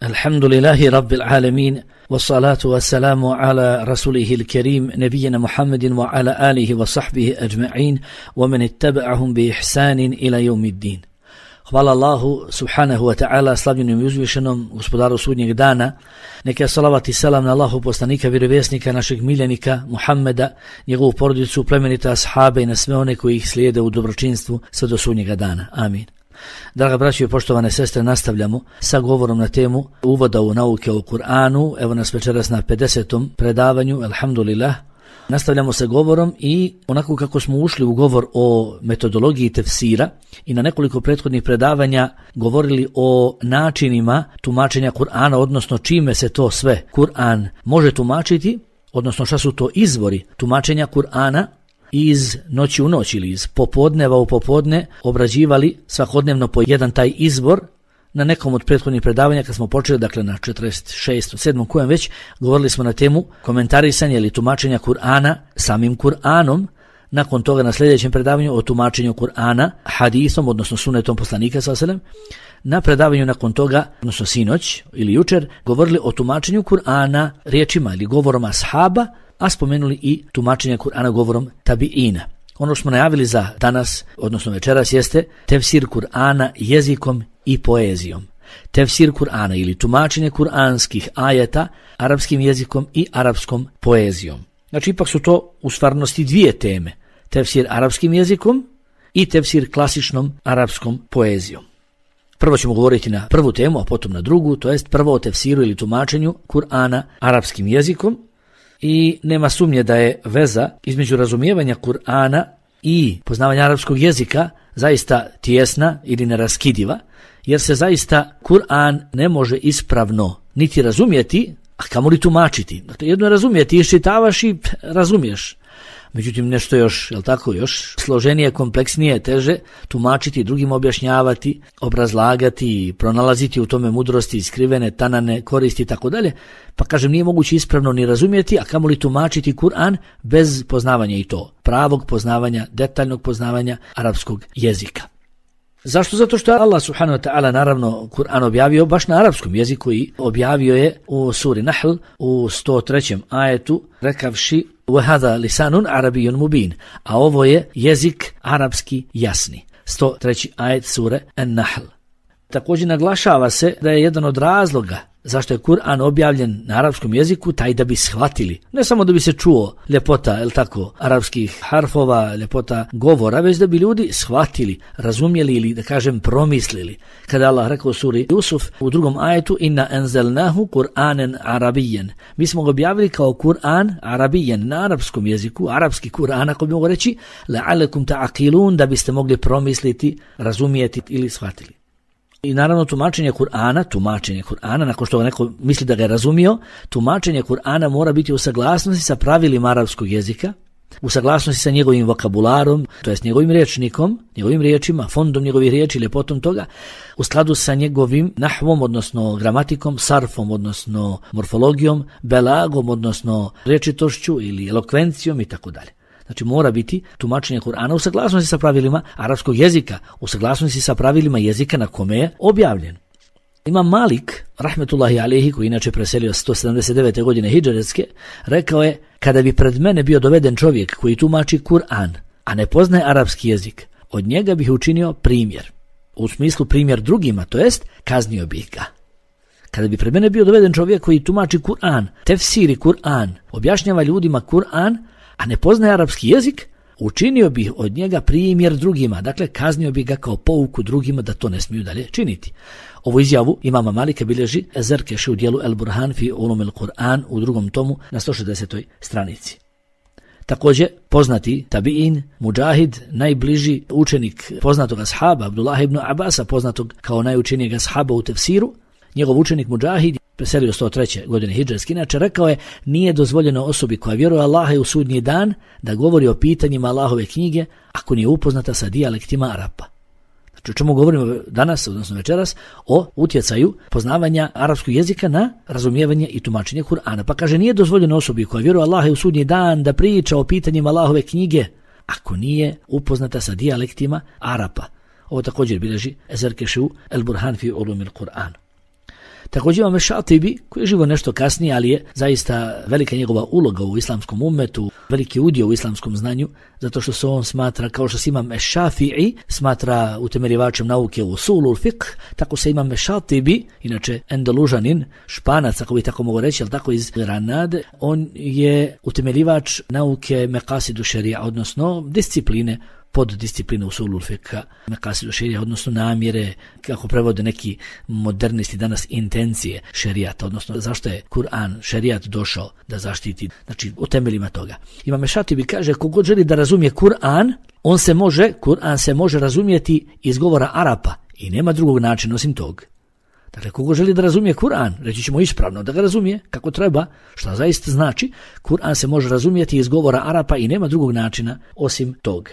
Alhamdulillahi Rabbil Alamin, wassalatu wassalamu ala rasulihil kerim, nebijena Muhammedin wa ala alihi wa sahbihi ajma'in, wa man ittaba'ahum bi ihsanin ila yawmiddin. Hvala Allahu subhanahu wa ta'ala, slavljenom i uzvišenom, gospodaru sudnjeg dana. Neka salavat i selam na Allahu poslanika, vjerovjesnika, našeg miljenika Muhammeda, njegovu porodicu, plemenita ashabe i na sve one koji ih slijede u dobročinstvu sve do sudnjega dana. Amin. Draga braćo i poštovane sestre, nastavljamo sa govorom na temu uvoda u nauke o Kur'anu. Evo nas večeras na 50. predavanju, alhamdulillah. Nastavljamo sa govorom i onako kako smo ušli u govor o metodologiji tefsira i na nekoliko prethodnih predavanja govorili o načinima tumačenja Kur'ana, odnosno čime se to sve Kur'an može tumačiti, odnosno šta su to izvori tumačenja Kur'ana, iz noći u noć ili iz popodneva u popodne obrađivali svakodnevno po jedan taj izvor. Na nekom od prethodnih predavanja kad smo počeli, dakle na 46. 7. kojem već, govorili smo na temu komentarisanja ili tumačenja Kur'ana samim Kur'anom. Nakon toga na sljedećem predavanju o tumačenju Kur'ana hadisom, odnosno sunetom poslanika sallallahu alejhi ve sellem. Na predavanju nakon toga, odnosno sinoć ili jučer, govorili o tumačenju Kur'ana riječima ili govorom ashaba, a spomenuli i tumačenje Kur'ana govorom tabiina. Ono što smo najavili za danas, odnosno večeras, jeste tefsir Kur'ana jezikom i poezijom. Tefsir Kur'ana ili tumačenje kuranskih ajeta arapskim jezikom i arapskom poezijom. Znači, ipak su to u stvarnosti dvije teme. Tefsir arapskim jezikom i tefsir klasičnom arapskom poezijom. Prvo ćemo govoriti na prvu temu, a potom na drugu, to jest prvo o tefsiru ili tumačenju Kur'ana arapskim jezikom. I nema sumnje da je veza između razumijevanja Kur'ana i poznavanja arapskog jezika zaista tijesna ili neraskidiva, jer se zaista Kur'an ne može ispravno niti razumjeti, a kamoli tumačiti. Dakle, jedno je razumjeti, iščitavaš i razumiješ. Međutim, nešto još, jel tako, još složenije, kompleksnije, teže tumačiti, drugim objašnjavati, obrazlagati, pronalaziti u tome mudrosti, skrivene, tanane, koristi i tako dalje. Pa kažem, nije moguće ispravno ni razumjeti, a kamoli tumačiti Kur'an bez poznavanja i to pravog poznavanja, detaljnog poznavanja arapskog jezika. Zašto? Zato što Allah subhanahu wa ta'ala naravno Kur'an objavio baš na arapskom jeziku i objavio je u suri Nahl u 103. ajetu rekavši وَهَذَا لِسَانٌ عَرَبِيٌّ مُبِينٌ, a ovo je jezik arapski jasni. 103. ajet sure An-Nahl. Također naglašava se da je jedan od razloga zašto je Kur'an objavljen na arapskom jeziku taj da bi shvatili, ne samo da bi se čuo ljepota, jel tako, arapskih harfova, ljepota govora, već da bi ljudi shvatili, razumjeli ili da kažem promislili. Kada Allah rekao u suri Jusuf u 2. ajetu inna anzalnahu Kur'anan arabiyyan, mi smo ga objavili kao Kur'an arabiyyan, na arapskom jeziku, arapski Kur'an, ako bi mogu reći, la'alakum ta'aqilun, da biste mogli promisliti, razumjeti ili shvatili. I naravno tumačenje Kur'ana, nakon što neko misli da ga je razumio, tumačenje Kur'ana mora biti u saglasnosti sa pravilima arapskog jezika, u saglasnosti sa njegovim vokabularom, to jest njegovim rječnikom, njegovim riječima, fondom njegovih riječi, ljepotom toga, u skladu sa njegovim nahvom, odnosno gramatikom, sarfom, odnosno morfologijom, belagom, odnosno rječitošću ili elokvencijom i tako dalje. Znači mora biti tumačenje Kur'ana u saglasnosti sa pravilima arapskog jezika, u saglasnosti sa pravilima jezika na kome je objavljen. Imam Malik, rahmetullahi alejhi, koji inače preselio 179. godine hidžretske, rekao je: kada bi pred mene bio doveden čovjek koji tumači Kur'an, a ne poznaje arapski jezik, od njega bih učinio primjer. U smislu primjer drugima, to jest kaznio bih ga. Kada bi pred mene bio doveden čovjek koji tumači Kur'an, tefsiri Kur'an, objašnjava ljudima Kur'an, a ne poznaje arapski jezik, učinio bih od njega primjer drugima, dakle kaznio bih ga kao pouku drugima da to ne smiju dalje činiti. Ovu izjavu imama Malika bilježi Zerkeši u dijelu El Burhan fi Ulum el Kur'an u 2. tomu na 160. stranici. Također poznati tabiin, Mujahid, najbliži učenik poznatog ashaba Abdullah ibn Abasa, poznatog kao najučenijeg ashaba u tefsiru, njegov učenik Mujahid, preselio 103. godine hidžretske, inače rekao je: nije dozvoljeno osobi koja vjeruje Allaha i u sudnji dan da govori o pitanjima Allahove knjige ako nije upoznata sa dijalektima Arapa. Znači o čemu govorimo danas, odnosno večeras, o utjecaju poznavanja arapskog jezika na razumijevanje i tumačenje Kur'ana. Pa kaže: nije dozvoljeno osobi koja vjeruje Allaha i u sudnji dan da priča o pitanjima Allahove knjige ako nije upoznata sa dijalektima Arapa. Ovo također bilježi Zerkeši El Burhan fi Ulum el Kur'an. Također imamo Šatibi, koji je živo nešto kasnije, ali je zaista velika njegova uloga u islamskom ummetu, veliki udio u islamskom znanju, zato što se on smatra, kao što se imam Šafi'i, smatra utemeljivačem nauke u usulul fiqh, tako se imam Šatibi, inače Endelužanin, Španac, ako bi tako mogu reći, ali tako iz Granade, on je utemeljivač nauke Mekasidu šerija, odnosno discipline, poddiscipline usulul fiqha, Mekasidu šerija, odnosno namjere, kako prevode neki modernisti danas, intencije šerijata, odnosno zašto je Kur'an, šerijat došao da zaštiti, znači u temeljima toga. Imam Šatibi kaže, kogod želi da razumije Kur'an, Kur'an se može razumjeti iz govora Arapa i nema drugog načina osim tog. Dakle, kogo želi da razumije Kur'an, reći ćemo ispravno da ga razumije kako treba, šta zaista znači, Kur'an se može razumjeti iz govora Arapa i nema drugog načina osim tog.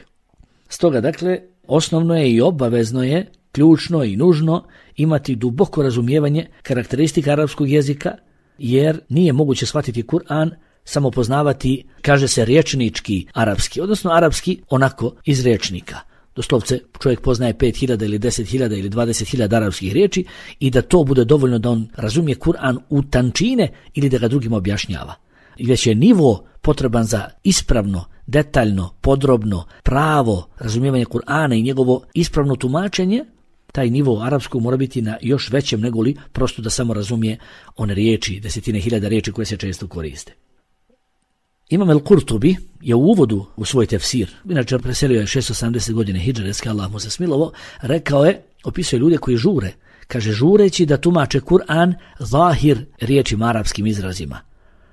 Stoga, dakle, osnovno je i obavezno je, ključno i nužno imati duboko razumijevanje karakteristika arapskog jezika, jer nije moguće shvatiti Kur'an samo poznavati, kaže se, rječnički arapski, odnosno arapski onako iz rječnika. Doslovce čovjek poznaje 5.000 ili 10.000 ili 20.000 arapskih riječi i da to bude dovoljno da on razumije Kur'an u tančine ili da ga drugim objašnjava. I već je nivo potreban za ispravno, detaljno, podrobno, pravo razumijevanje Kur'ana i njegovo ispravno tumačenje, taj nivo arapskog mora biti na još većem nego li prosto da samo razumije one riječi, desetine hiljada riječi koje se često koriste. Imam el-Kurtubi je u uvodu u svoj tefsir, inače preselio je 670 godine hidžreske, Allah mu se smilovo, rekao je, opisuje ljude koji žure, kaže žureći da tumače Kur'an zahir riječima arapskim izrazima.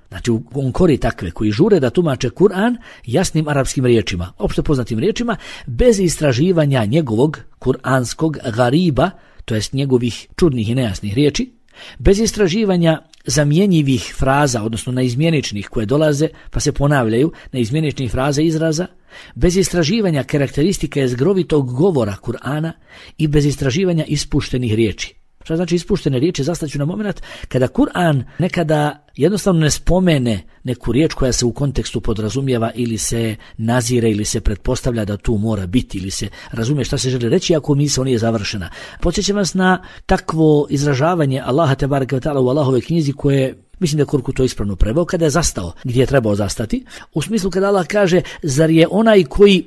Znači on kori takve koji žure da tumače Kur'an jasnim arapskim riječima, opšte poznatim riječima, bez istraživanja njegovog kur'anskog gariba, to jest njegovih čudnih i nejasnih riječi, bez istraživanja zamjenjivih fraza, odnosno neizmjeničnih koje dolaze pa se ponavljaju, neizmjeničnih fraza izraza, bez istraživanja karakteristika jezgrovitog govora Kur'ana i bez istraživanja ispuštenih riječi. Šta znači ispuštene riječi? Zastaću na moment kada Kur'an nekada jednostavno ne spomene neku riječ koja se u kontekstu podrazumijeva ili se nazire ili se pretpostavlja da tu mora biti ili se razumije šta se želi reći ako misao nije završena. Podsjećam vas na takvo izražavanje Allaha tebareke ve taala u Allahove knjizi koje mislim da je Kurku to ispravno preveo kada je zastao gdje je trebao zastati. U smislu kada Allah kaže zar je onaj koji,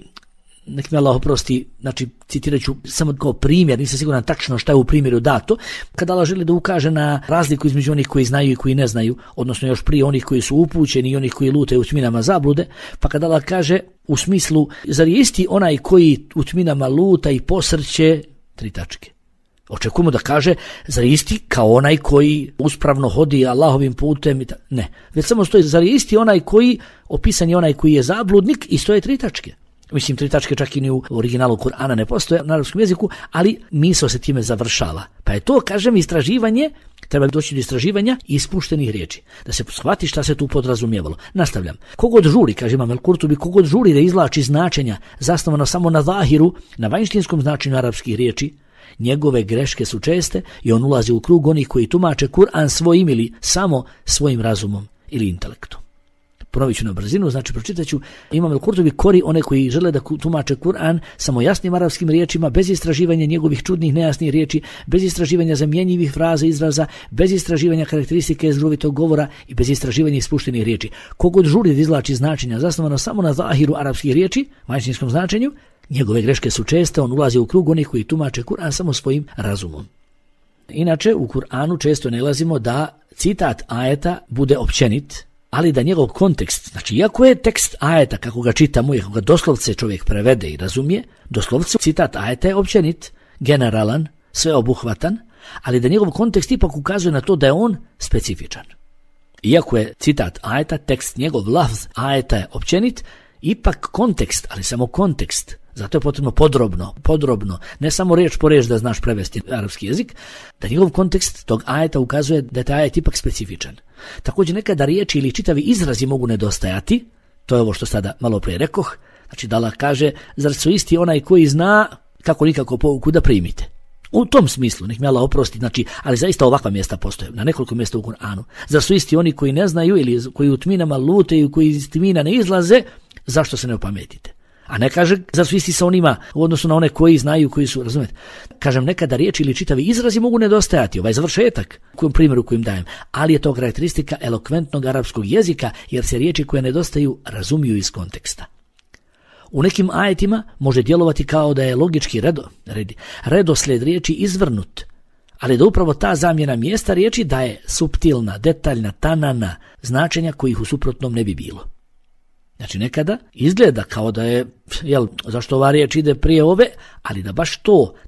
nek mi Allah oprosti, znači citirat ću samo kao primjer, nisam siguran tačno šta je u primjeru dato, kada Allah želi da ukaže na razliku između onih koji znaju i koji ne znaju, odnosno još prije onih koji su upućeni i onih koji lutaju u tminama zablude, pa kada Allah kaže u smislu, zar je isti onaj koji u tminama luta i posrće, 3 tačke. Očekujemo da kaže, zar je isti kao onaj koji uspravno hodi Allahovim putem? Ne, već samo stoji, zar je isti onaj koji, opisan je onaj koji je zabludnik i stoje 3 tačke. Mislim, 3 tačke čak i ni u originalu Kur'ana ne postoje na arapskom jeziku, ali misao se time završava. Pa je to, kažem, istraživanje, treba doći do istraživanja i ispuštenih riječi. Da se shvati šta se tu podrazumijevalo. Nastavljam. Kogod žuri, kaže Imam el-Kurtubi, kogod žuri da izvlači značenja zasnovano samo na zahiru, na vanjštinskom značenju arapskih riječi, njegove greške su česte i on ulazi u krug onih koji tumače Kur'an svojim ili samo svojim razumom ili intelektom. Ponovit ću na brzinu, znači pročitat ću. Imam el-Kurtubi kori one koji žele da tumače Kur'an samo jasnim arapskim riječima, bez istraživanja njegovih čudnih nejasnih riječi, bez istraživanja zamjenjivih fraza izraza, bez istraživanja karakteristike jezgrovitog govora i bez istraživanja ispuštenih riječi. Kogod žuri da izvlači značenja zasnovano samo na zahiru arapskih riječi, vanjštinskom značenju, njegove greške su česte, on ulazi u krug onih koji tumače Kur'an samo svojim razumom. Inače, u Kur'anu često nalazimo da citat ajeta bude općenit, ali da njegov kontekst, znači iako je tekst ajeta kako ga čitamo i kako ga doslovce čovjek prevede i razumije, doslovce citat ajeta je općenit, generalan, sveobuhvatan, ali da njegov kontekst ipak ukazuje na to da je on specifičan. Iako je citat ajeta, tekst njegov lafz ajeta je općenit, ipak kontekst, ali samo kontekst, zato je potrebno podrobno, ne samo riječ po riječ da znaš prevesti arapski jezik, da njegov kontekst tog ajeta ukazuje da je taj ajet ipak specifičan. Također nekada riječi ili čitavi izrazi mogu nedostajati, to je ovo što sada malo prije rekoh, znači da Allah kaže, zar su isti onaj koji zna kako nikako pouku da primite. U tom smislu, nek mi Allah oprosti, znači, ali zaista ovakva mjesta postoje, na nekoliko mjesta u Kur'anu. Zar su isti oni koji ne znaju ili koji u tminama lutaju, koji iz tmina ne izlaze, zašto se ne opametite? A ne kaže, zar su isti sa onima u odnosu na one koji znaju, koji su, razumijete? Kažem, nekada riječi ili čitavi izrazi mogu nedostajati, ovaj završetak, kojem primjeru kojim dajem, ali je to karakteristika elokventnog arapskog jezika, jer se riječi koje nedostaju razumiju iz konteksta. U nekim ajetima može djelovati kao da je logički redoslijed riječi izvrnut, ali da upravo ta zamjena mjesta riječi daje suptilna, detaljna, tanana značenja kojih u suprotnom ne bi bilo. Znači nekada izgleda kao da je, zašto ova riječ ide prije ove, ali da baš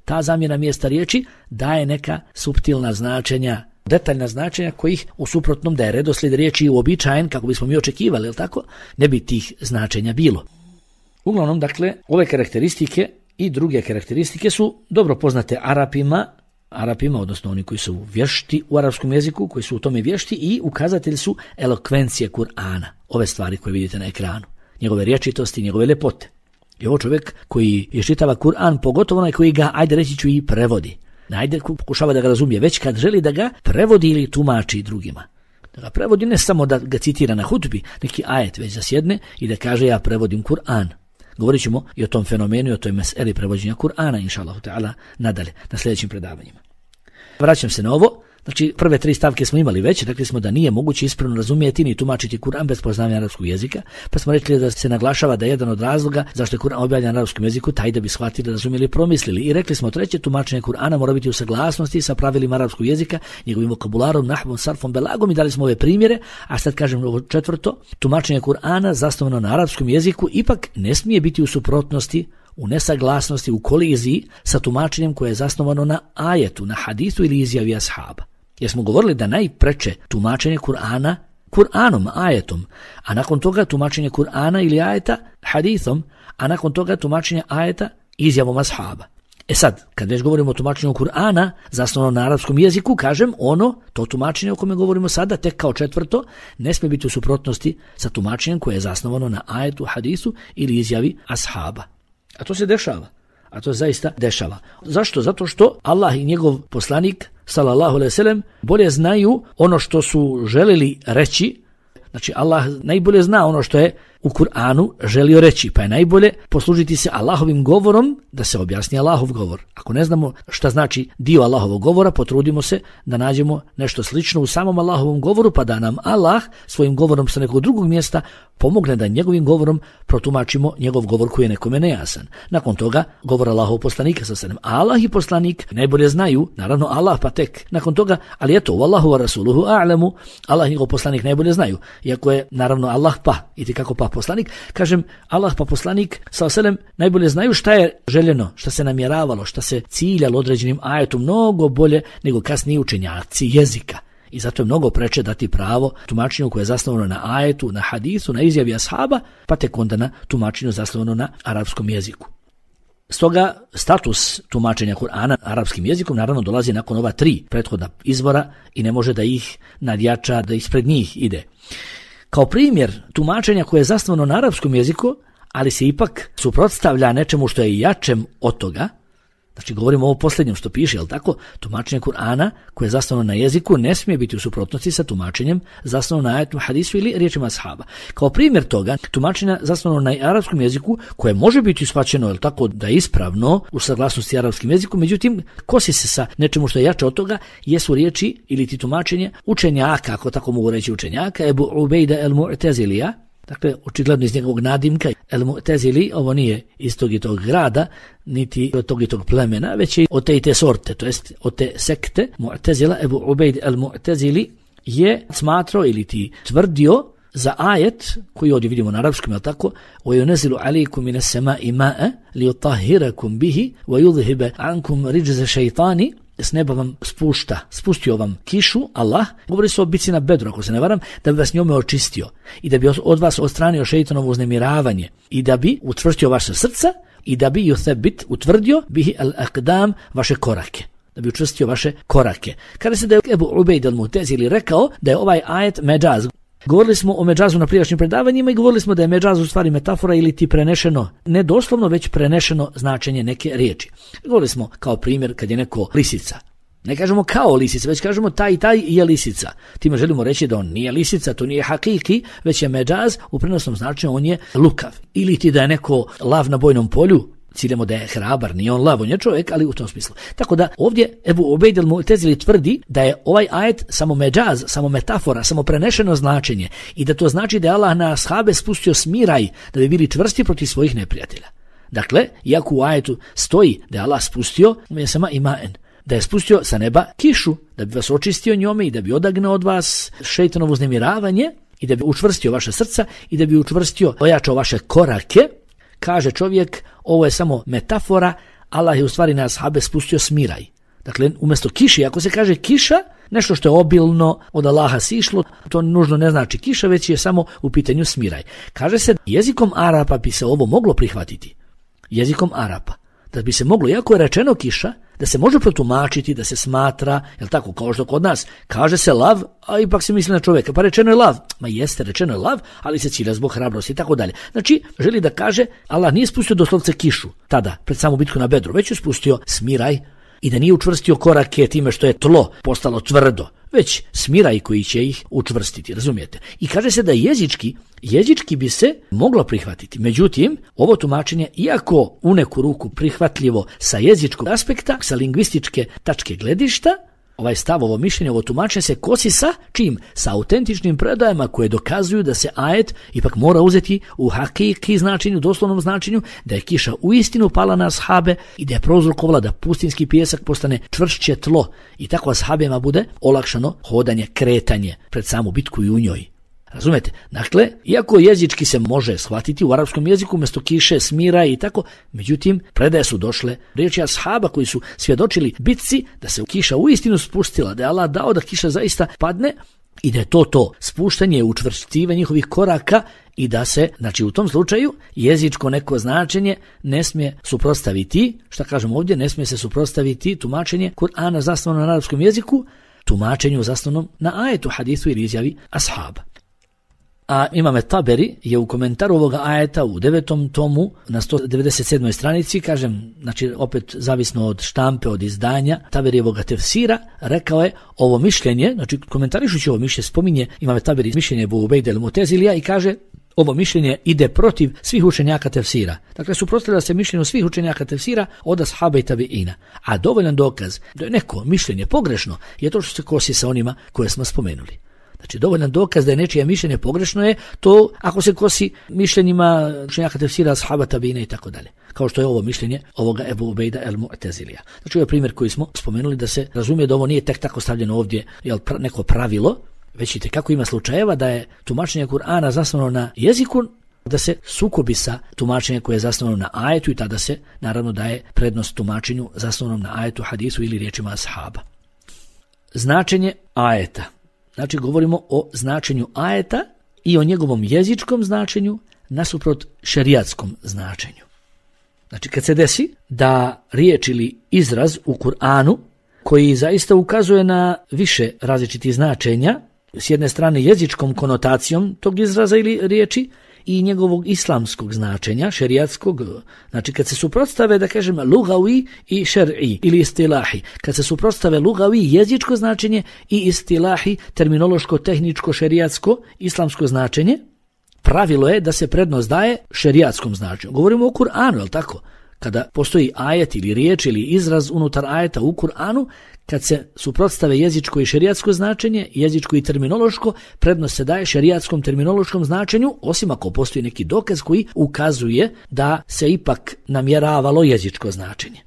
ta zamjena mjesta riječi daje neka suptilna značenja, detaljna značenja kojih u suprotnom da je redoslijed riječi uobičajen kako bismo mi očekivali, jel tako, ne bi tih značenja bilo. Uglavnom, dakle, ove karakteristike i druge karakteristike su dobro poznate Arapima, odnosno oni koji su vješti u arapskom jeziku, koji su u tome vješti i ukazatelji su elokvencije Kur'ana. Ove stvari koje vidite na ekranu, njegove rječitosti, njegove ljepote. I ovo čovjek koji iščitava Kur'an, pogotovo onaj koji ga, ajde reći ću, i prevodi. Pokušava da ga razumije, već kad želi da ga prevodi ili tumači drugima. Da ga prevodi ne samo da ga citira na hutbi, neki ajet, već da sjedne i da kaže ja prevodim Kur'an. Govorit ćemo i o tom fenomenu i o toj meseli prevođenja Kur'ana, inšallahu ta'ala, nadalje, na sljedećim predavanjima. Vraćam se na ovo. Znači, prve 3 stavke smo imali već, rekli smo da nije moguće ispravno razumijeti ni tumačiti Kur'an bez poznavanja arapskog jezika, pa smo rekli da se naglašava da je jedan od razloga zašto je Kur'an objavljen na arapskom jeziku taj da bi shvatili, razumjeli i promislili. I rekli smo treće, tumačenje Kur'ana mora biti u saglasnosti sa pravilima arapskog jezika, njegovim vokabularom, nahvom, sarfom, belagom i dali smo ove primjere, a sad kažem ovo četvrto, tumačenje Kur'ana zasnovano na arapskom jeziku ipak ne smije biti u suprotnosti, u nesaglasnosti, u koliziji sa tumačenjem koje je zasnovano na ajetu, na hadisu ili izjavi ashaba. Jer smo govorili da najpreče tumačenje Kur'ana Kur'anom, ajetom, a nakon toga tumačenje Kur'ana ili ajeta hadithom, a nakon toga tumačenje ajeta izjavom ashaba. Sad, kad već govorimo o tumačenju Kur'ana, zasnovano na arapskom jeziku, kažem, to tumačenje o kome govorimo sada, tek kao četvrto, ne smije biti u suprotnosti sa tumačenjem koje je zasnovano na ajetu, hadisu ili izjavi ashaba. A to se dešava. A to zaista dešava. Zašto? Zato što Allah i njegov poslanik, sallallahu alejhi ve sellem, bolje znaju ono što su želeli reći. Znači, Allah najbolje zna ono što je u Kur'anu želio reći, pa je najbolje poslužiti se Allahovim govorom da se objasni Allahov govor. Ako ne znamo šta znači dio Allahovog govora, potrudimo se da nađemo nešto slično u samom Allahovom govoru, pa da nam Allah svojim govorom sa nekog drugog mjesta pomogne da njegovim govorom protumačimo njegov govor koji je nekome nejasan. Nakon toga govor Allahov poslanika sa sallam. Allah i poslanik najbolje znaju, naravno Allah pa tek nakon toga, ali eto, wallahu wa rasuluhu a'lamu, Allah i njegov poslanik najbolje znaju. Iako je naravno Allah itekako poslanik, kažem Allah pa poslanik sa sallam najbolje znaju šta je željeno, šta se namjeravalo, šta se ciljalo određenim ajetom mnogo bolje nego kasniji učenjaci jezika. I zato je mnogo preče dati pravo tumačenju koje je zasnovano na ajetu, na hadisu, na izjavi ashaba, pa tek onda na tumačenju zasnovano na arapskom jeziku. Stoga status tumačenja Kur'ana arapskim jezikom naravno dolazi nakon ova 3 prethodna izvora i ne može da ih nadjača, da ispred njih ide. Kao primjer tumačenja koje je zasnovano na arapskom jeziku, ali se ipak suprotstavlja nečemu što je jačem od toga, znači govorimo o ovo posljednjem što piše, jel tako? Tumačenje Kur'ana koje je zasnovano na jeziku ne smije biti u suprotnosti sa tumačenjem zasnovano na ajetu, hadisu ili riječima ashaba. Kao primjer toga, tumačenja zasnovano na arapskom jeziku koje može biti shvaćeno, jel tako, da je ispravno u saglasnosti arapskim jezikom, međutim kosi se sa nečemu što je jače od toga, jesu riječi ili ti tumačenje učenjaka, ako tako mogu reći učenjaka, Ebu Ubejda el-Mu'tezilija. Dakle, očigledno iz njegovog nadimka, el-Mu'tezili, ovo nije iz tog i tog grada, niti od tog i tog plemena, već je od te i te sorte, to jest od te sekte. Mu'tezila, Ebu Ubejd el-Mu'tezili je smatrao ili ti tvrdio za ajet, koji ovdje vidimo na arapskom, je tako, وَيُنَزِلُ عَلَيْكُمْ مِنَ السَّمَاءِ مَاءً لِيُطَهِّرَكُمْ بِهِ وَيُذْهِبَ عَنْكُمْ رِجْزَ شَيْطَانِ. S neba vam spustio vam kišu, Allah, govori se o bici na Bedru, ako se ne varam, da bi vas njome očistio i da bi od vas odstranio šeitanovo uznemiravanje i da bi utvrstio vaše srca i da bi utvrdio bihi al-aqdam, vaše korake. Da bi učvrstio vaše korake. Kada se da je Ebu Ubejd el-Mu'tezili rekao da je ovaj ajet medžaz. Govorili smo o medžazu na prijašnjim predavanjima i govorili smo da je medžaz u stvari metafora ili ti prenešeno, ne doslovno, već prenešeno značenje neke riječi. Govorili smo kao primjer kad je neko lisica. Ne kažemo kao lisica, već kažemo taj i taj je lisica. Time želimo reći da on nije lisica, to nije hakiki, već je međaz, u prenosnom značenju on je lukav. Ili ti da je neko lav na bojnom polju, ciljamo da je hrabar, nije on lav, on je čovjek, ali u tom smislu. Tako da ovdje Ebu Ubejd el-Mu'tezili tvrdi da je ovaj ajet samo međaz, samo metafora, samo prenešeno značenje i da to znači da je Allah na ashabe spustio smiraj da bi bili čvrsti protiv svojih neprijatelja. Dakle, iako u ajetu stoji da je Allah spustio da je spustio sa neba kišu, da bi vas očistio njome i da bi odagnao od vas šejtanovo uznemiravanje i da bi učvrstio vaše srca i da bi učvrstio, ojačao vaše korake, kaže čovjek, ovo je samo metafora, Allah je u stvari na ashabe spustio smiraj. Dakle, umjesto kiše, ako se kaže kiša, nešto što je obilno od Allaha sišlo, to nužno ne znači kiša, već je samo u pitanju smiraj. Kaže se, jezikom Arapa bi se ovo moglo prihvatiti. Jezikom Arapa. Da bi se moglo, iako je rečeno kiša, da se može protumačiti, da se smatra, jel tako, kao što kod nas, kaže se lav, a ipak se misli na čovjeka, pa rečeno je lav. Ma jeste, rečeno je lav, ali se cilja zbog hrabrosti i tako dalje. Znači, želi da kaže, Allah nije spustio doslovce kišu, tada, pred samu bitku na Bedru, već je spustio smiraj i da nije učvrstio korake time što je tlo postalo tvrdo, već smiraj koji će ih učvrstiti, razumijete? I kaže se da jezički bi se moglo prihvatiti. Međutim, ovo tumačenje, iako u neku ruku prihvatljivo sa jezičkog aspekta, sa lingvističke tačke gledišta, ovaj stav, ovo mišljenje, ovo tumačenje se kosi sa čim? Sa autentičnim predajama koje dokazuju da se ajet ipak mora uzeti u hakiki značenju, doslovnom značenju, da je kiša uistinu pala na ashabe i da je prouzrokovala da pustinski pijesak postane čvršće tlo i tako ashabima bude olakšano hodanje, kretanje pred samu bitku i u njoj. Razumete? Dakle, iako jezički se može shvatiti u arapskom jeziku umjesto kiše, smira i tako, međutim, predaje su došle riječi ashaba koji su svjedočili bitci da se kiša uistinu spustila, da je Allah dao da kiša zaista padne i da je to spuštanje, učvršćivanje njihovih koraka i da se, znači u tom slučaju, jezičko neko značenje ne smije suprotstaviti, šta kažem ovdje, ne smije se suprotstaviti tumačenje Kur'ana zasnovano na arapskom jeziku, tumačenju zasnovanom na ajetu, hadisu ili izjavi ashaba. A Imam Taberi je u komentaru ovoga ajeta u 9. tomu na 197. stranici, kažem, znači opet zavisno od štampe, od izdanja Taberijevog tefsira, rekao je ovo mišljenje, znači komentarišući ovo mišljenje, spominje Imam Taberi mišljenje Ebu Ubejda el-Mu'tezilija i kaže ovo mišljenje ide protiv svih učenjaka tefsira. Dakle, suprotstavlja se mišljenju svih učenjaka tefsira od ashaba i tabiina. A dovoljan dokaz da je neko mišljenje pogrešno je to što se kosi sa onima koje smo spomenuli. Znači, dovoljan dokaz da je nečije mišljenje pogrešno je to ako se kosi mišljenjima učenjaka tefsira, ashaba, tabiina i tako dalje. Kao što je ovo mišljenje ovoga Ebu Ubejda el-Mu'tezilija. Znači, ovo je primjer koji smo spomenuli da se razumije da ovo nije tek tako stavljeno ovdje neko pravilo, već vidite kako ima slučajeva da je tumačenje Kur'ana zasnovano na jeziku, da se sukobi sa tumačenjem koje je zasnovano na ajetu i tada se naravno daje prednost tumačenju zasnovanom na ajetu, hadisu ili riječima ashaba. Značenje ajeta. Znači, govorimo o značenju ajeta i o njegovom jezičkom značenju nasuprot šerijatskom značenju. Znači, kad se desi da riječ ili izraz u Kur'anu koji zaista ukazuje na više različitih značenja, s jedne strane jezičkom konotacijom tog izraza ili riječi i njegovog islamskog značenja, šerijatskog, znači kad se suprotstave, da kažem, lugavi i šer'i ili istilahi, kad se suprotstave lugavi, jezičko značenje i istilahi, terminološko, tehničko, šerijatsko, islamsko značenje, pravilo je da se prednost daje šerijatskom značenju. Govorimo o Kur'anu, je li tako? Kada postoji ajet ili riječ ili izraz unutar ajeta u Kur'anu, kad se suprotstave jezičko i šerijatsko značenje, jezičko i terminološko, prednost se daje šerijatskom terminološkom značenju, osim ako postoji neki dokaz koji ukazuje da se ipak namjeravalo jezičko značenje.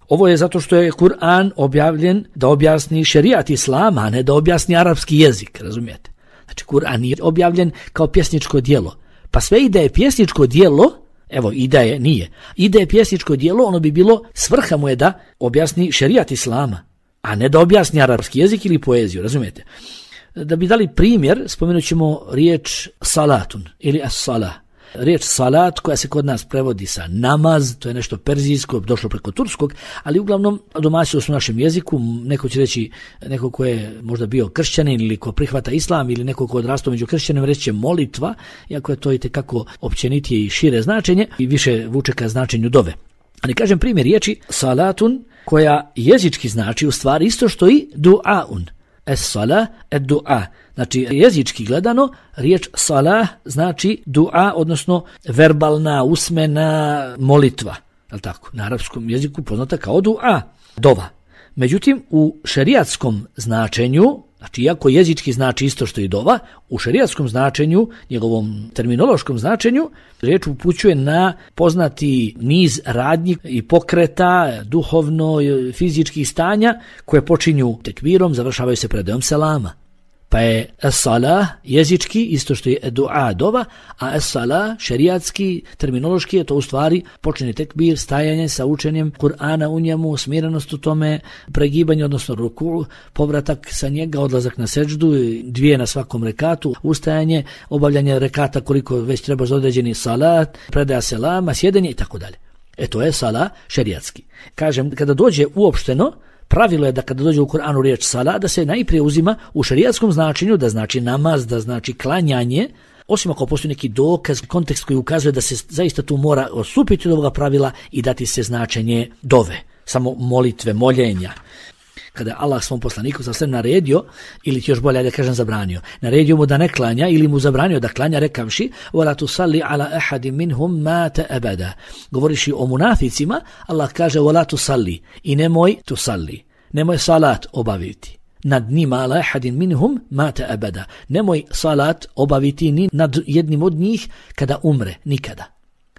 Ovo je zato što je Kur'an objavljen da objasni šerijat islama, a ne da objasni arapski jezik, razumijete? Znači, Kur'an je objavljen kao pjesničko djelo. Pa sve i da je pjesničko djelo, evo, i da je, nije. I da je pjesničko djelo, ono bi bilo, svrha mu je da objasni šerijat islama, a ne da objasni arapski jezik ili poeziju, razumijete? Da bi dali primjer, spomenut ćemo riječ salatun ili as-salah. Riječ salat koja se kod nas prevodi sa namaz, to je nešto perzijsko, došlo preko turskog, ali uglavnom domaćilo su u našem jeziku, neko će reći, neko ko je možda bio kršćanin ili ko prihvata islam ili neko ko odrastao među kršćanima reći će molitva, iako je to itekako općenitije i šire značenje i više vuče ka značenju dove. Ali kažem primjer riječi salatun koja jezički znači u stvari isto što i du'aun. Es-salah ed-du'a. Znači jezički gledano riječ salah znači du'a, odnosno verbalna, usmena molitva. Je tako? Na arapskom jeziku poznata kao du'a, dova. Međutim, u šerijatskom značenju, znači iako jezički znači isto što i dova, u šerijatskom značenju, njegovom terminološkom značenju, riječ upućuje na poznati niz radnji i pokreta, duhovno, fizičkih stanja koje počinju tekbirom, završavaju se predajom selama. Pa je es-salah jezički isto što je du'a, dova, a es-salah šerijatski, terminološki je to u stvari počinje tekbir, stajanje sa učenjem Kur'ana u njemu, smirenost u tome, pregibanje, odnosno ruku, povratak sa njega, odlazak na seđdu, 2 na svakom rekatu, ustajanje, obavljanje rekata koliko već treba za određeni salat, predaja selama, sjedenje i tako dalje. To je salah šerijatski. Kažem, kada dođe uopšteno, pravilo je da kada dođe u Kur'anu riječ sala, da se najprije uzima u šerijatskom značenju, da znači namaz, da znači klanjanje, osim ako postoji neki dokaz, kontekst koji ukazuje da se zaista tu mora odstupiti od ovoga pravila i dati se značenje dove, samo molitve, moljenja. Kada je Allah svom poslaniku sa sve naredio, ili još bolje da kažem zabranio, naredio mu da ne klanja ili mu zabranio da klanja rekavši وَلَا تُصَلِّ عَلَى أَحَدٍ مِنْهُمْ مَاتَ أَبَدًا. Govoriši o munaficima, Allah kaže وَلَا تُصَلِّ i nemoj tusalli, nemoj salat obaviti nad njima ala ahadin minhum mata abada. Nemoj salat obaviti ni nad jednim od njih kada umre, nikada.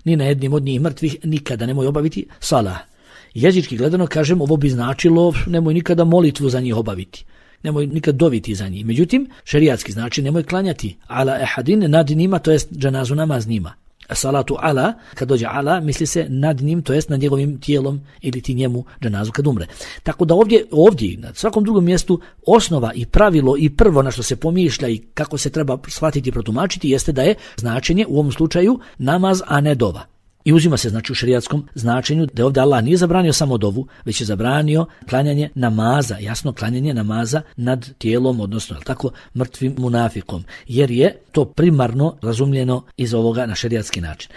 Ni na jednim od njih mrtvih nikada nemoj obaviti salat. Jezički gledano kažem, ovo bi značilo nemoj nikada molitvu za njih obaviti. Nemoj nikad doviti za njih. Međutim, šerijatski znači nemoj klanjati ala ahadin nad njima, to jest dženazu namaz njima. Salatu ala, kad dođe ala, misli se nad njim, to jest nad njegovim tijelom ili ti njemu dženazu kad umre. Tako da ovdje, na svakom drugom mjestu, osnova i pravilo i prvo na što se pomišlja i kako se treba shvatiti i protumačiti jeste da je značenje u ovom slučaju namaz, a ne dova. I uzima se znači u šerijatskom značenju da ovdje Allah nije zabranio samo dovu, već je zabranio klanjanje namaza, jasno klanjanje namaza nad tijelom, odnosno tako mrtvim munafikom, jer je to primarno razumljeno iz ovoga na šerijatski način.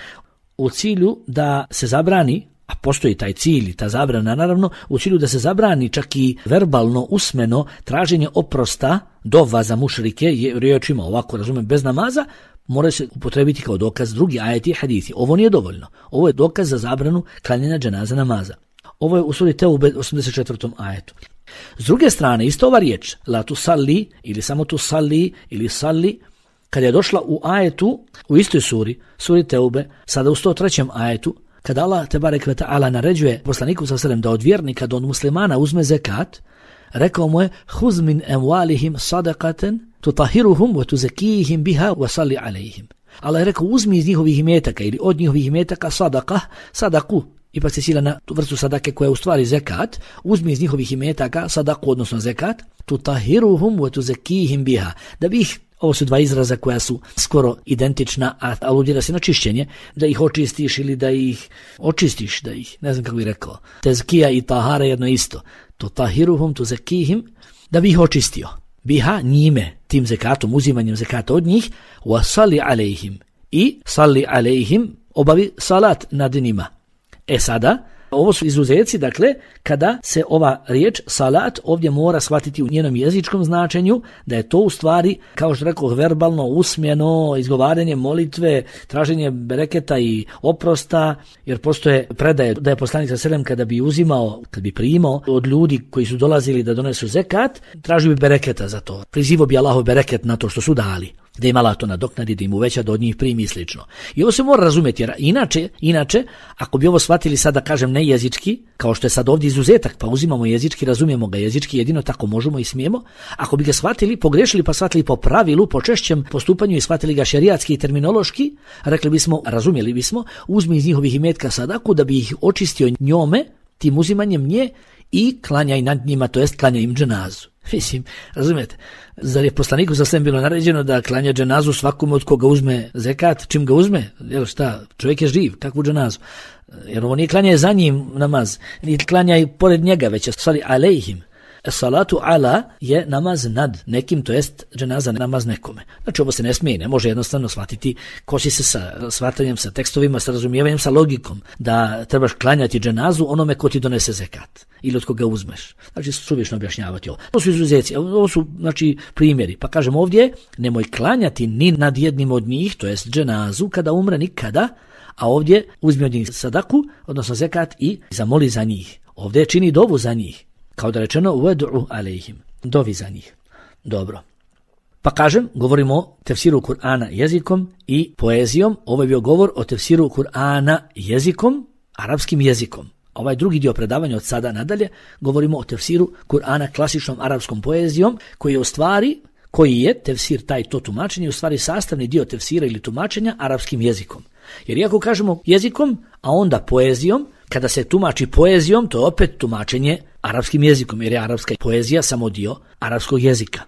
U cilju da se zabrani, a postoji taj cilj i ta zabrana naravno, u cilju da se zabrani čak i verbalno, usmeno traženje oprosta dova za mušrike, riječima ovako razumem bez namaza, mora se upotrebiti kao dokaz drugi ajeti i hadithi. Ovo nije dovoljno. Ovo je dokaz za zabranu klanjanja dženaza namaza. Ovo je u suri Teube 84. ajetu. S druge strane, isto ova riječ, la tu salli, ili samo tu salli, ili salli, kada je došla u ajetu, u istoj suri Teube, sada u 103. ajetu, kada Allah tebarek ve ta'ala naređuje poslaniku sallallahu alejhi ve sellem da od vjernika, da od muslimana uzme zekat, rekao mu je, huz min emvalihim sadaqatan tutahiruhum wa tuzakihim biha wa salli alejhim. Allah je rekao, uzmi iz njihovih imetaka ili od njihovih imetaka sadaku, ipak se sila na tu vrstu sadake koja je u stvari zekat, uzmi iz njihovih imetaka sadaku, odnosno zekat, tutahiruhum wa tuzakihim biha, da bi ih, ovo su dva izraza koja su skoro identična, a aludira se na čišćenje, da ih očistiš ili da ih očistiš, da ih, ne znam kako bih rekao, tezkija i tahara jedno isto, tutahiruhum tuzakihim, da bi ih očistio. Biha njime, tim zekatom, uzimanjem zekata od njih, wa salli alejhim, i salli alejhim, obavi salat nad njima. Sada, ovo su izuzeci, dakle, kada se ova riječ salat ovdje mora shvatiti u njenom jezičkom značenju, da je to u stvari, kao što rekao, verbalno, usmjeno, izgovaranje molitve, traženje bereketa i oprosta, jer postoje predaje da je poslanik sallallahu alejhi ve sellem kada bi uzimao, kad bi primao od ljudi koji su dolazili da donesu zekat, tražio bi bereketa za to. Prizivao bi Allahov bereket na to što su dali, da im Allah to nadoknadi, da im uveća, da od njih primi i slično. I ovo se mora razumjeti, jer inače, ako bi ovo shvatili sada, kažem, ne jezički, kao što je sad ovdje izuzetak, pa uzimamo jezički, razumijemo ga jezički, jedino tako možemo i smijemo, ako bi ga shvatili, pogrešili pa shvatili po pravilu, po češćem postupanju i shvatili ga šerijatski i terminološki, rekli bismo, razumjeli bismo, uzmi iz njihovih imetka sadaku da bi ih očistio njome, tim uzimanjem nje, i klanjaj nad njima, to jest klanjaj im dženazu. Mislim, razumijete, zar je poslaniku za sve bilo naređeno da klanja dženazu svakome od koga uzme zekat, čim ga uzme, jel šta, čovjek je živ, kakvu dženazu, jer ovo nije klanjaj za njim namaz, nije klanjaj pored njega, već je sali alejhim, Salatu ala je namaz nad nekim, to jest dženaza namaz nekome. Znači ovo se ne smije, ne može jednostavno shvatiti, kosi se sa shvatanjem, sa tekstovima, sa razumijevanjem, sa logikom, da trebaš klanjati dženazu onome ko ti donese zekat ili od koga uzmeš. Znači suvišno objašnjavati ovo. To su izuzeci, ovo su znači primjeri. Pa kažem ovdje, nemoj klanjati ni nad jednim od njih, to jest dženazu, kada umre nikada, a ovdje uzmi od njih sadaku, odnosno zekat i zamoli za njih. Ovdje čini dovu za njih. Kao da rečeno, uvedu'u alejhim, dovi za njih. Dobro. Pa kažem, govorimo o tefsiru Kur'ana jezikom i poezijom. Ovo je bio govor o tefsiru Kur'ana jezikom, arapskim jezikom. Ovaj drugi dio predavanja od sada nadalje, govorimo o tefsiru Kur'ana klasičnom arapskom poezijom, koji je tefsir taj to tumačenje, u stvari sastavni dio tefsira ili tumačenja arapskim jezikom. Jer iako kažemo jezikom, a onda poezijom, kada se tumači poezijom, to je opet tumačenje arapskim jezikom, jer je arapska poezija samo dio arapskog jezika.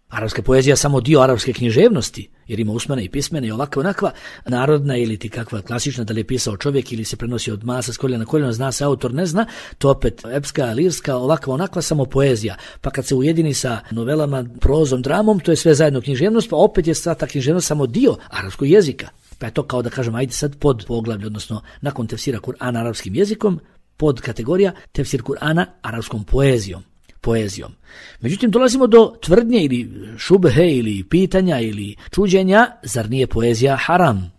Arapska poezija samo dio arapske književnosti, jer ima usmene i pismene i ovakva onakva, narodna ili ti kakva klasična, da li je pisao čovjek ili se prenosi od masa s koljena na koljeno, zna se autor, ne zna, to opet epska, lirska, ovakva onakva samo poezija. Pa kad se ujedini sa novelama, prozom, dramom, to je sve zajedno književnost, pa opet je sva ta književnost samo dio arapskog jezika. Pa je to kao da kažem, ajde sad pod poglavlje, odnosno nakon tefsira Kur'ana arapskim jezikom, pod kategorija tefsir Kur'ana arapskom poezijom. Međutim, dolazimo do tvrdnje ili šubhe ili pitanja ili čuđenja, zar nije poezija haram?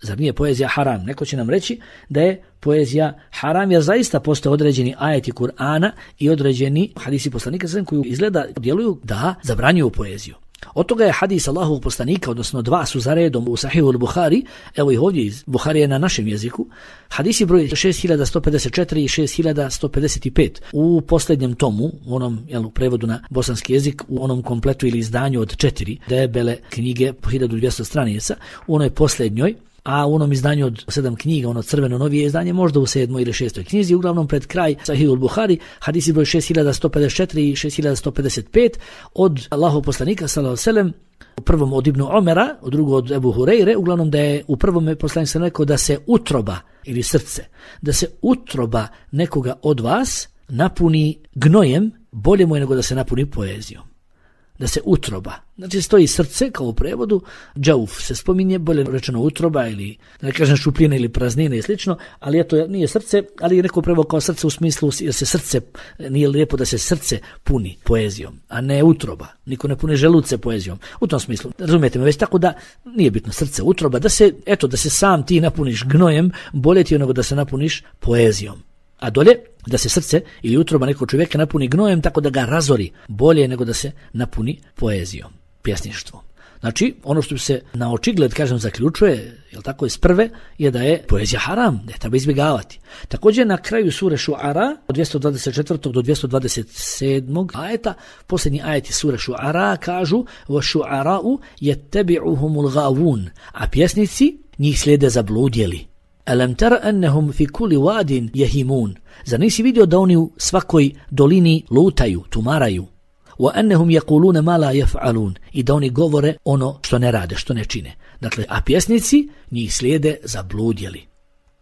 Zar nije poezija haram? Neko će nam reći da je poezija haram, jer zaista postoje određeni ajeti Kur'ana i određeni hadisi poslanika koji izgleda djeluju da zabranjuju poeziju. Od toga je hadis Allahovog poslanika, odnosno dva su za redom u Sahihu al-Buhari, evo ih ovdje iz Buharije na našem jeziku, hadisi broj 6154 i 6155 u posljednjem tomu, u onom prevodu na bosanski jezik, u onom kompletu ili izdanju od 4 debele knjige po 1200 stranica, u onoj posljednjoj, a u onom izdanju od 7 knjiga, ono crveno novije izdanje, možda u 7. ili 6. knjizi, uglavnom pred kraj Sahihul Buhari, hadisi broj 6154 i 6155 od Allahov poslanika sallallahu alejhi ve sellem, u prvom od Ibnu Omera, u drugom od Ebu Hureyre, uglavnom da je u prvom poslanik sam rekao da se utroba ili srce, da se utroba nekoga od vas napuni gnojem, bolje mu je nego da se napuni poezijom. Da se utroba. Znači stoji srce kao u prevodu, džauf se spominje, bolje rečeno utroba ili da ne kažem šupljine ili praznine i slično, ali eto nije srce, ali je neko prevod kao srce u smislu jer se srce, nije lijepo da se srce puni poezijom, a ne utroba. Niko ne puni želuce poezijom. U tom smislu, razumijete me, već tako da nije bitno srce, utroba, da se sam ti napuniš gnojem, bolje ti je nego da se napuniš poezijom. A dolje, da se srce ili utroba nekog čovjeka napuni gnojem tako da ga razori, bolje nego da se napuni poezijom, pjesništvom. Znači, ono što se na očigled, kažem, zaključuje, jel tako, iz prve, je da je poezija haram, da je treba izbjegavati. Također na kraju sure Šuara, od 224. do 227. ajeta, posljednji ajeti sure Šuara kažu وَشُعَرَاءُ يَتَّبِعُهُمُ الْغَاوُونَ, a pjesnici njih slijede zabludjeli. Alam tara annahum fi kulli wadin yahimun, zar nisi vidio da oni u svakoj dolini lutaju, tumaraju, wa annahum yaquluna ma la yaf'alun, i da oni govore ono što ne rade, što ne čine. Dakle, a pjesnici njih slijede zabludjeli.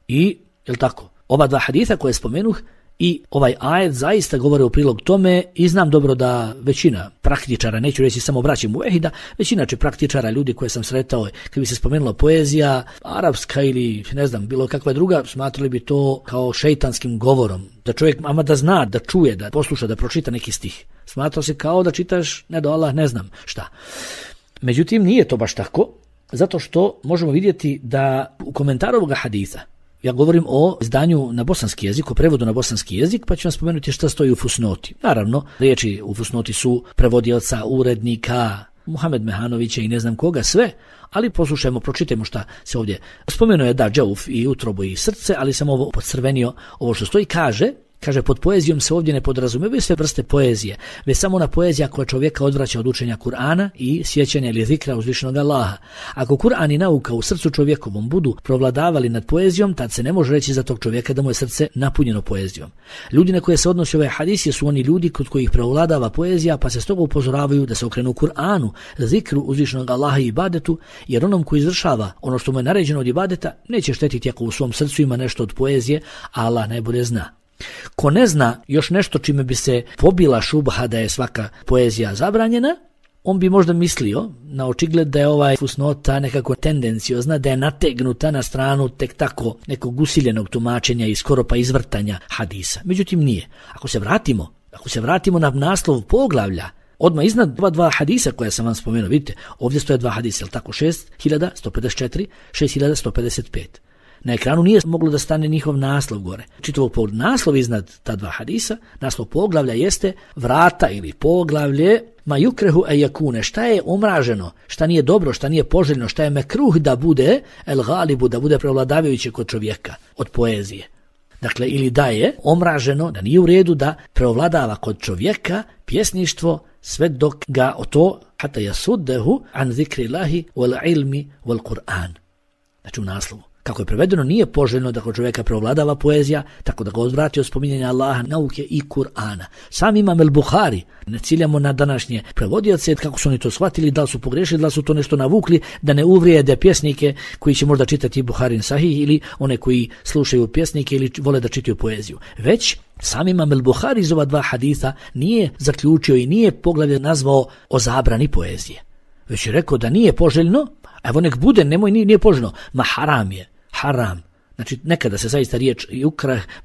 I, jel tako, ova dva haditha koje spomenuh i ovaj ajet zaista govore u prilog tome i znam dobro da većina praktičara, neću reći samo braće muvehida, većina će praktičara, ljudi koje sam sretao, kad bi se spomenula poezija, arapska ili ne znam, bilo kakva druga, smatrali bi to kao šejtanskim govorom. Da čovjek, ama da zna, da čuje, da posluša, da pročita neki stih. Smatrao se kao da čitaš, ne do Allah, ne znam šta. Međutim, nije to baš tako, zato što možemo vidjeti da u komentaru ovoga haditha, ja govorim o izdanju na bosanski jezik, o prevodu na bosanski jezik, pa ću vam spomenuti šta stoji u fusnoti. Naravno, riječi u fusnoti su prevodioca, urednika, Muhamed Mehanovića i ne znam koga, sve, ali poslušajmo, pročitajmo šta se ovdje spomenuo je da džauf i utrobu i srce, ali sam ovo podcrvenio, ovo što stoji, kaže pod poezijom se ovdje ne podrazumijevaju sve vrste poezije, već samo ona poezija koja čovjeka odvraća od učenja Kur'ana i sjećanja ili zikra uzvišenog Allaha. Ako Kur'an i nauka u srcu čovjekovom budu provladavali nad poezijom, tad se ne može reći za tog čovjeka da mu je srce napunjeno poezijom. Ljudi na koje se odnosi ovaj hadis su oni ljudi kod kojih prevladava poezija, pa se stoga upozoravaju da se okrenu Kur'anu, zikru uzvišenog Allaha i ibadetu, jer onom koji izvršava ono što mu je naređeno od ibadeta neće štetiti ako u svom srcu ima nešto od poezije, a Allah najbolje zna. Ko ne zna još nešto čime bi se pobila šubha da je svaka poezija zabranjena, on bi možda mislio na očigled da je ovaj fusnota nekako tendenciozna, da je nategnuta na stranu tek tako nekog usiljenog tumačenja i skoro pa izvrtanja hadisa. Međutim nije. Ako se vratimo na naslov poglavlja, odmah iznad dva hadisa koja sam vam spomenuo, vidite, ovdje stoje dva hadisa, je tako, 6154, 6155. Na ekranu nije moglo da stane njihov naslov gore. Čitavog naslov iznad ta dva hadisa, naslov poglavlja jeste vrata ili poglavlje ma yukrehu ajakune, šta je omraženo, šta nije dobro, šta nije poželjno, šta je mekruh da bude el galibu, da bude prevladavajuće kod čovjeka od poezije. Dakle, ili da je omraženo, da nije u redu da prevladava kod čovjeka pjesništvo sve dok ga o to hata yasuddehu an zikrillahi wal ilmi wal Qur'an. Znači u naslovu. Kako je prevedeno, nije poželjno da kod čovjeka prevladava poezija, tako da ga odvrati od spominjanja Allaha, nauke i Kur'ana. Sam Imam el-Buhari, ne ciljamo na današnje prevodioce, kako su oni to shvatili, da li su pogrešili, da li su to nešto navukli, da ne uvrijede pjesnike koji će možda čitati Buharin Sahih ili one koji slušaju pjesnike ili vole da čitaju poeziju. Već sam Imam el-Buhari iz ova dva haditha nije zaključio i nije poglavlje nazvao o zabrani poezije. Već je rekao da nije poželjno, evo nek bude, nije poželjno, ma haram je. Haram. Znači nekada se zaista riječ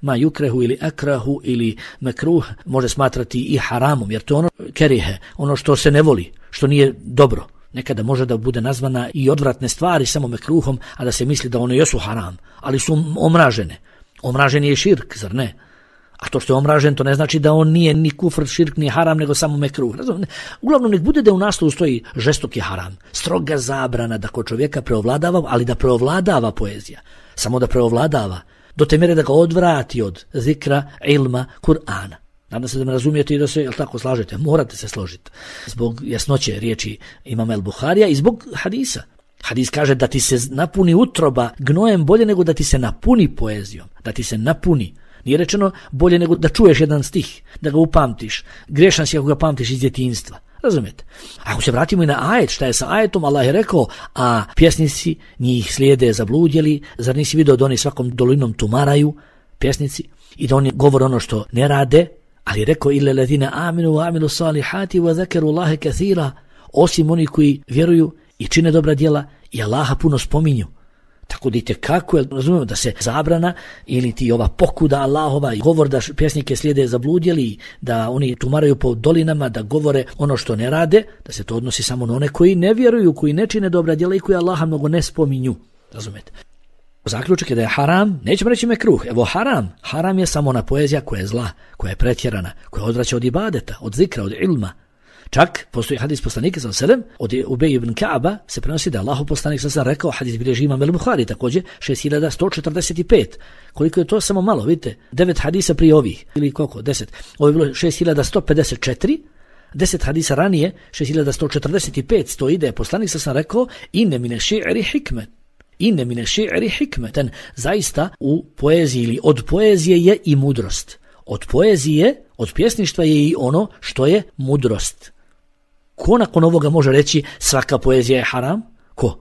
ma yukrehu ili akrahu ili mekruh može smatrati i haramom, jer to je ono kerihe, ono što se ne voli, što nije dobro. Nekada može da bude nazvana i odvratne stvari samo mekruhom, a da se misli da one jesu haram, ali su omražene. Omražen je širk, zar ne? A to što je omražen, to ne znači da on nije ni kufr, širk, ni haram, nego samo mekruh. Uglavnom, nek bude da u naslovu stoji žestoki haram, stroga zabrana da kod čovjeka preovladava, ali da preovladava poezija. Samo da preovladava, do te mjere da ga odvrati od zikra, ilma, Kur'ana. Nadam se da me razumijete i da se, jel tako, slažete? Morate se složiti. Zbog jasnoće riječi Imama el-Buharija i zbog hadisa. Hadis kaže da ti se napuni utroba gnojem bolje nego da ti se napuni poezijom. Da ti se napuni. Nije rečeno bolje nego da čuješ jedan stih, da ga upamtiš. Grešan si ako ga pamtiš iz djetinjstva. Razumijete? Ako se vratimo i na ajet, šta je sa ajetom, Allah je rekao, a pjesnici njih slijede zabludjeli, zar nisi vidio da oni svakom dolinom tumaraju, pjesnici, i da oni govore ono što ne rade, ali je rekao, illa ladina aminu wa amilu salihati wa zakaru Allahe kathira, osim oni koji vjeruju i čine dobra djela i Allaha puno spominju. Tako da kako je, razumijemo, da se zabrana ili ti ova pokuda Allahova i govor da pjesnike slijede zabludjeli, da oni tumaraju po dolinama, da govore ono što ne rade, da se to odnosi samo na one koji ne vjeruju, koji ne čine dobra djela i koji Allaha mnogo ne spominju. Razumijete? Zaključak je da je haram, nećemo reći mekruh, evo haram je samo ona poezija koja je zla, koja je pretjerana, koja odvraća od ibadeta, od zikra, od ilma. Čak postoji hadis poslanika sallallahu od Ubej ibn Ka'aba se prenosi da Allahov poslanik sallallahu rekao, hadis bilježi Imam el-Buhari također 6145. Koliko je to samo malo, vidite, 9 hadisa prije ovih ili koliko, 10. Ovo je bilo 6154. 10 hadisa ranije 6145 stoji da je poslanik sallallahu rekao inne mine ši'ri hikmeten. Zaista u poeziji ili od poezije je i mudrost. Od poezije, od pjesništva je i ono što je mudrost. Ko nakon ovoga može reći svaka poezija je haram? Ko?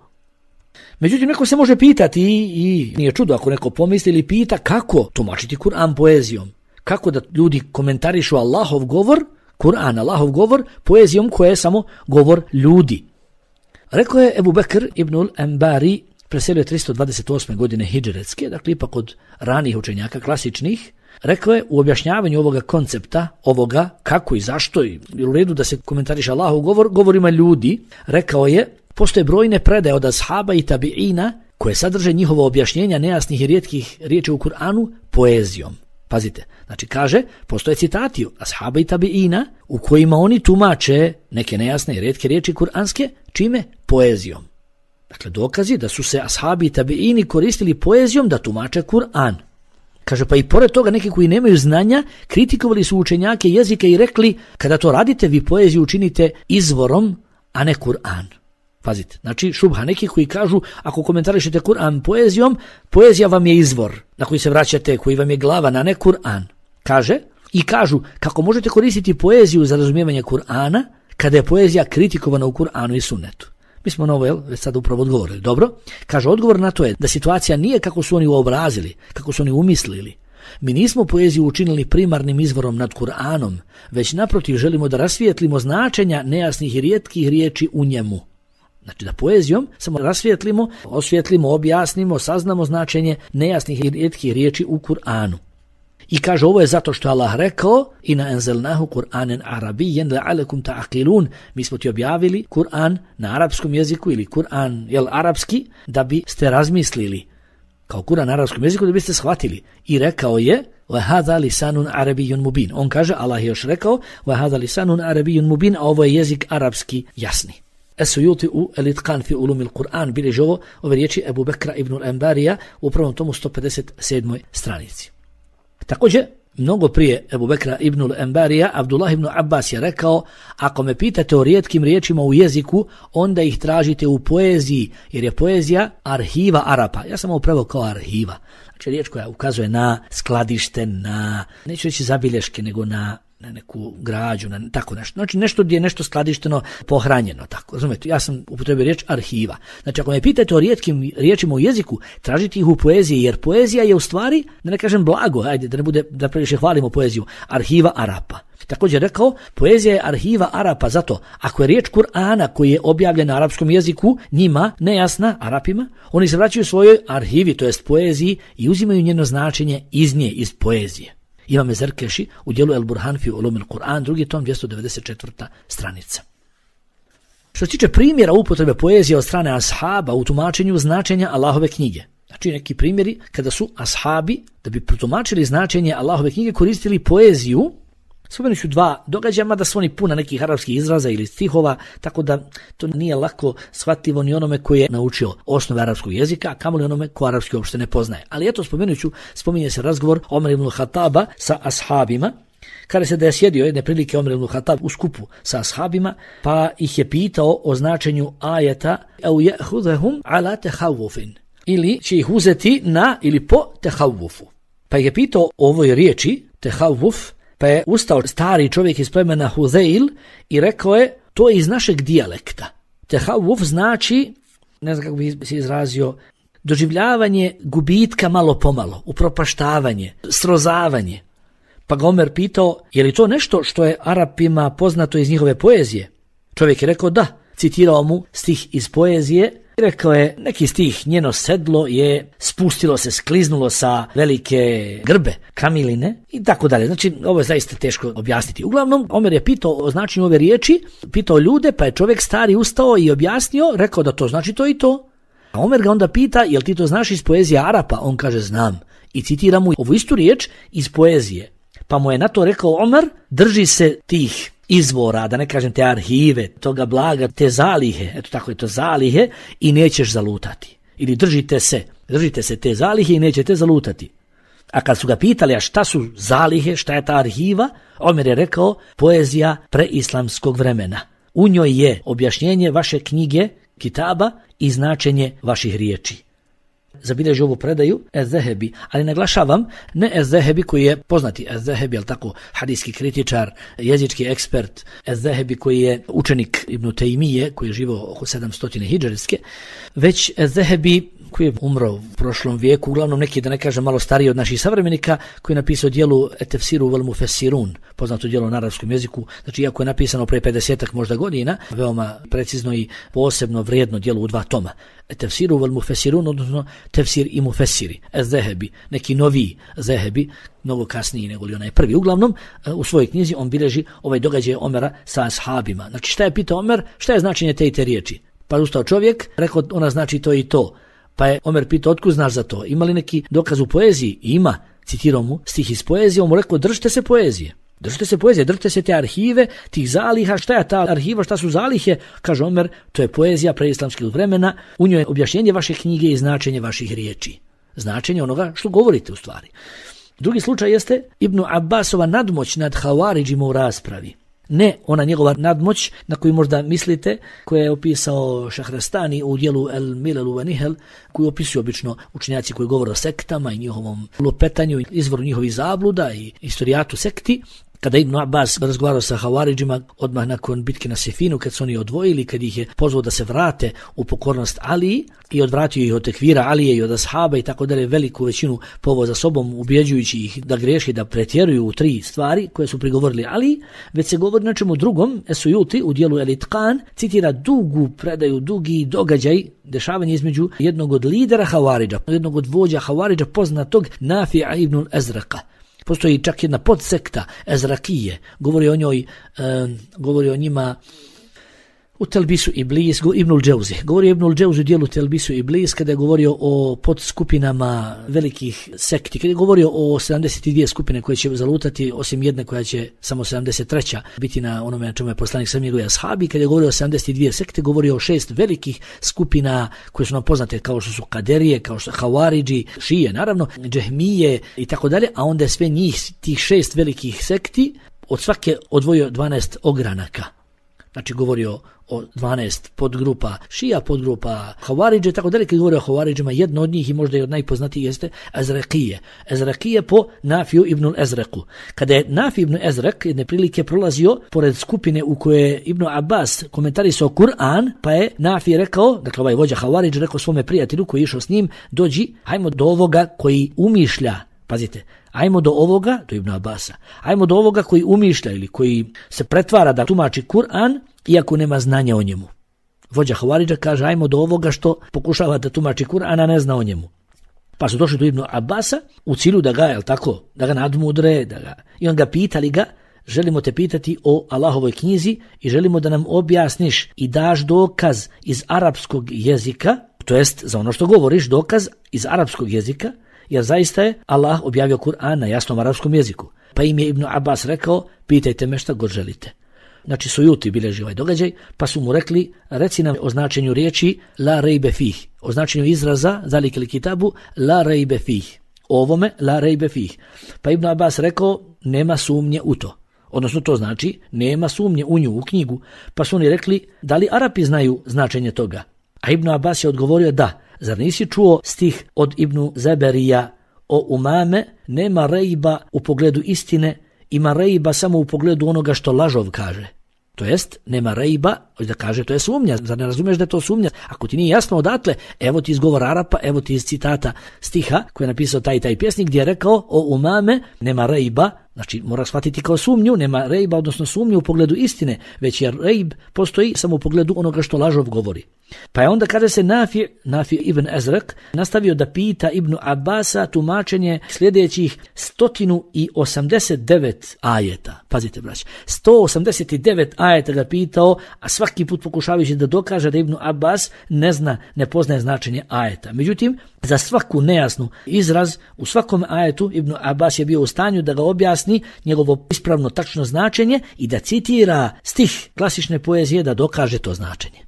Međutim, neko se može pitati i nije čudo ako neko pomisli ili pita kako tumačiti Kur'an poezijom. Kako da ljudi komentarišu Allahov govor, Kur'an, Allahov govor, poezijom koja je samo govor ljudi. Rekao je Ebu Bekr ibnul Embari, preselio je 328. godine hidžretske, dakle ipak od ranijih učenjaka, klasičnih. Rekao je u objašnjavanju ovoga koncepta, ovoga kako i zašto i u redu da se komentariše Allahov govor, govorima ljudi, rekao je, postoje brojne predaje od ashaba i tabiina koje sadrže njihovo objašnjenja nejasnih i rijetkih riječi u Kur'anu poezijom. Pazite, znači kaže, postoje citati ashaba i tabiina u kojima oni tumače neke nejasne i rijetke riječi kuranske, čime? Poezijom. Dakle, dokazi da su se ashabi i tabiini koristili poezijom da tumače Kur'an. Kaže, pa i pored toga neki koji nemaju znanja kritikovali su učenjake jezika i rekli, kada to radite, vi poeziju učinite izvorom, a ne Kur'an. Pazite, znači šubha neki koji kažu, ako komentarišete Kur'an poezijom, poezija vam je izvor na koji se vraćate, koji vam je glava, na ne Kur'an. Kaže, i kažu, kako možete koristiti poeziju za razumijevanje Kur'ana, kada je poezija kritikovana u Kur'anu i sunnetu. Mi smo na ovo već sad upravo odgovorili. Dobro, kaže, odgovor na to je da situacija nije kako su oni uobrazili, kako su oni umislili, Mi nismo poeziju učinili primarnim izvorom nad Kur'anom, već naprotiv želimo da rasvijetlimo značenja nejasnih i rijetkih riječi u njemu. Znači da poezijom samo rasvijetlimo, osvijetlimo, objasnimo, saznamo značenje nejasnih i rijetkih riječi u Kur'anu. I kaže ovo je zato što Allah rekao Ina enzelnahu Kur'anen arabijen la'alekum ta'akilun. Mi smo ti objavili Kur'an na arapskom jeziku ili Kur'an arapski da biste razmislili. Kao Kur'an na arapskom jeziku da biste shvatili. I rekao je وَهَذَا لِسَانٌ عَرَبِيٌّ مُبِينٌ. On kaže, Allah je još rekao وَهَذَا لِسَانٌ عَرَبِيٌّ مُبِينٌ, a ovo je jezik arapski jasni. Esujuti u Elitkan fi ulumil Kur'an bilježi ove riječi Ebu Bekra ibn al-Embarija u prvom tomu 157. stranici. Također, mnogo prije Ebu Bekra ibn al-Embarija, Abdullah ibn Abbas je rekao, ako me pitate o rijetkim riječima u jeziku, onda ih tražite u poeziji, jer je poezija arhiva Arapa. Ja sam ovo preveo kao arhiva. Znači riječ koja ukazuje na skladište, na, neću reći zabilješke, nego na neku građu, na tako nešto. Znači nešto gdje je nešto skladišteno, pohranjeno, tako. Razumete, ja sam upotrebio riječ arhiva. Znači ako me pitate o rijetkim riječima u jeziku, tražite ih u poeziji, jer poezija je u stvari, da ne kažem blago, ajde, da ne bude da previše hvalimo poeziju, arhiva Arapa. Također rekao, poezija je arhiva Arapa, zato ako je riječ Kur'ana koji je objavljen na arapskom jeziku, njima nejasna Arapima, oni se vraćaju svojoj arhivi, to jest poeziji, i uzimaju njeno značenje iz nje, iz poezije. Imam Zerkeši u dijelu El Burhan fi ulumil Kur'an, drugi tom, 294. stranica. Što se tiče primjera upotrebe poezije od strane ashaba u tumačenju značenja Allahove knjige. Znači neki primjeri kada su ashabi, da bi protumačili značenje Allahove knjige, koristili poeziju. Spomenut ću dva događaja, mada su oni puna nekih arapskih izraza ili stihova, tako da to nije lako shvatljivo ni onome koji je naučio osnove arapskog jezika, a kamoli onome ko arapski uopšte ne poznaje. Ali eto, spominje se razgovor Omer ibn Khattaba sa ashabima, kada se da je sjedio jedne prilike Omer ibn Khattab u skupu sa ashabima, pa ih je pitao o značenju ajeta au ya'khudhum ala tahawufin, ili će ih uzeti na ili po tahawufu. Pa ih je pitao o ovoj riječi tahawuf. Pa je ustao stari čovjek iz plemena Huzeil i rekao je, to je iz našeg dijalekta. Tehawuf znači, ne znam kako bi se izrazio, doživljavanje gubitka malo pomalo, upropaštavanje, srozavanje. Pa ga Omer pitao, je li to nešto što je Arapima poznato iz njihove poezije? Čovjek je rekao da, citirao mu stih iz poezije. Rekao je, neki stih, njeno sedlo je spustilo se, skliznulo sa velike grbe, kamiline i tako dalje. Znači, ovo je zaista teško objasniti. Uglavnom, Omer je pitao o značenju ove riječi, pitao ljude, pa je čovjek stari ustao i objasnio, rekao da to znači to i to. A Omer ga onda pita, jel ti to znaš iz poezije Arapa? On kaže, znam. I citira mu ovu istu riječ iz poezije. Pa mu je na to rekao Omer, drži se tih izvora, da ne kažem te arhive, toga blaga, te zalihe, eto tako je to zalihe, i nećeš zalutati. Ili držite se te zalihe i nećete zalutati. A kad su ga pitali, a šta su zalihe, šta je ta arhiva, Omer je rekao, poezija preislamskog vremena. U njoj je objašnjenje vaše knjige, kitaba, i značenje vaših riječi. Zabilježi ovu predaju Ez-Zehebi, ali naglašavam, ne Ez-Zehebi koji je poznati Ez-Zehebi, ali tako hadijski kritičar, jezički ekspert, Ez-Zehebi koji je učenik Ibn Taymije, koji je živio oko 700 hidžarske, već Ez-Zehebi koji je umro u prošlom vijeku, uglavnom neki, da ne kažem, malo stariji od naših savremenika, koji je napisao dijelu Tefsiru vel Mufessirun, poznato dijelo na arapskom jeziku, znači iako je napisano pre 50-ak možda godina, veoma precizno i posebno vrijedno dijelo u 2 toma. Tefsiru vel Mufessirun, odnosno Tefsir i Mufessiri, Ez-Zehebi, neki novi Zehebi, mnogo kasniji nego li onaj prvi. Uglavnom, u svojoj knjizi on bilježi ovaj događaj Omera sa ashabima. Znači šta je pitao Omer, šta je značenje te i te riječi? Pa ustao čovjek, rekao ona znači to i to. Pa je Omer pitao, otkud znaš za to? Ima li neki dokaz u poeziji? Ima. Citirao mu stih iz poezije, on mu rekao, držite se poezije, držite se te arhive, tih zaliha. Šta je ta arhiva, šta su zalihe? Kaže Omer, to je poezija preislamskog vremena, u njoj je objašnjenje vaše knjige i značenje vaših riječi. Značenje onoga što govorite u stvari. Drugi slučaj jeste Ibn Abbasova nadmoć nad Havaridžima u raspravi. Ne ona njegova nadmoć na koju možda mislite, koja je opisao Šahrastani u dijelu El Milelu wa Nihel, koju opisuju obično učenjaci koji govore o sektama i njihovom lupetanju, izvoru njihovih zabluda i istorijatu sekti. Kada Ibn Abbas razgovarao sa Havaridžima odmah nakon bitke na Sifinu, kad su oni odvojili, kad ih je pozvao da se vrate u pokornost Aliji i odvratio ih od tekvira Alije i od ashaba i tako dalje, veliku većinu poveo za sobom, ubjeđujući ih da greši, da pretjeruju u 3 stvari koje su prigovorili Aliji, već se govori nečemu drugom. Esujuti u dijelu El-Itqan citira dugu predaju, dugi događaj, dešavanje između jednog od lidera Havaridža, jednog od vođa Havaridža, poznatog Nafi'a ibn al-Azraqa. Postoji čak jedna podsekta Ezrakije, govori o njoj, govori o njima u Telbisu Iblis, Ibnul Džauzi. Govori Ibnul Džauzi u dijelu Telbisu Iblis kada je govorio o podskupinama velikih sekti, kada je govorio o 72 skupine koje će zalutati, osim jedne koja će samo 73. biti na onome na čemu je poslanik sam njegovi ashabi. Kada je govorio o 72 sekte, govorio o 6 velikih skupina koje su nam poznate kao što su Kaderije, kao što su Havaridži, Šije, naravno, Džehmije i tako dalje, a onda je sve njih, tih 6 velikih sekti, od svake odvojio 12 ogranaka. Znači govorio o 12 podgrupa Šija, podgrupa Havaridže, tako dalje. Kad govori o Havaridžima, jedno od njih i možda i od najpoznatijih jeste Ezrakije. Ezrakije po Nafiju ibn Ezreku. Kada je Nafi ibn Ezrek jedne prilike prolazio pored skupine u kojoj je Ibn Abbas komentarisao Kur'an, pa je Nafi rekao, dakle ovaj vođa Havaridž rekao svome prijatelju koji je išao s njim, dođi, hajmo do ovoga koji umišlja, pazite, ajmo do ovoga, do Ibn Abbasa, ajmo do ovoga koji umišlja ili koji se pretvara da tumači Kur'an iako nema znanja o njemu. Vođa Havaridža kaže ajmo do ovoga što pokušava da tumači Kur'an, a ne zna o njemu. Pa su došli do Ibn Abbasa u cilju da ga, jel tako, da ga nadmudre, i on ga pitali ga, želimo te pitati o Allahovoj knjizi i želimo da nam objasniš i daš dokaz iz arapskog jezika, to jest za ono što govoriš, dokaz iz arapskog jezika, jer zaista je Allah objavio Kur'an na jasnom arapskom jeziku. Pa im je Ibn Abbas rekao, pitajte me šta god želite. Znači Sujuti bilježi ovaj događaj, pa su mu rekli, reci nam o značenju riječi la rejbe fih, o značenju izraza zalikili kitabu la rejbe fih, ovome la rejbe fih. Pa Ibn Abbas rekao, nema sumnje u to. Odnosno to znači, nema sumnje u nju, u knjigu. Pa su oni rekli, da li Arapi znaju značenje toga? A Ibn Abbas je odgovorio da. Zar nisi čuo stih od Ibnu Zeberija o umame, nema rejba u pogledu istine, ima rejba samo u pogledu onoga što lažov kaže. To jest, nema rejba, da kaže to je sumnja. Zar ne razumiješ da je to sumnja? Ako ti nije jasno odatle, evo ti izgovor Arapa, evo ti iz citata stiha koji je napisao taj pjesnik gdje je rekao o umame, nema rejba, znači mora shvatiti kao sumnju, nema rejba, odnosno sumnju u pogledu istine, već jer rejb postoji samo u pogledu onoga što lažov govori. Pa je onda kaže se Nafi ibn Ezrek nastavio da pita Ibn Abbasa tumačenje sljedećih 189 ajeta. Pazite braći, 189 ajeta ga pitao, a svaki put pokušavajući da dokaže da Ibn Abbas ne poznaje značenje ajeta. Međutim, za svaku nejasnu izraz u svakom ajetu Ibn Abbas je bio u stanju da ga objasni njegovo ispravno tačno značenje i da citira stih klasične poezije da dokaže to značenje.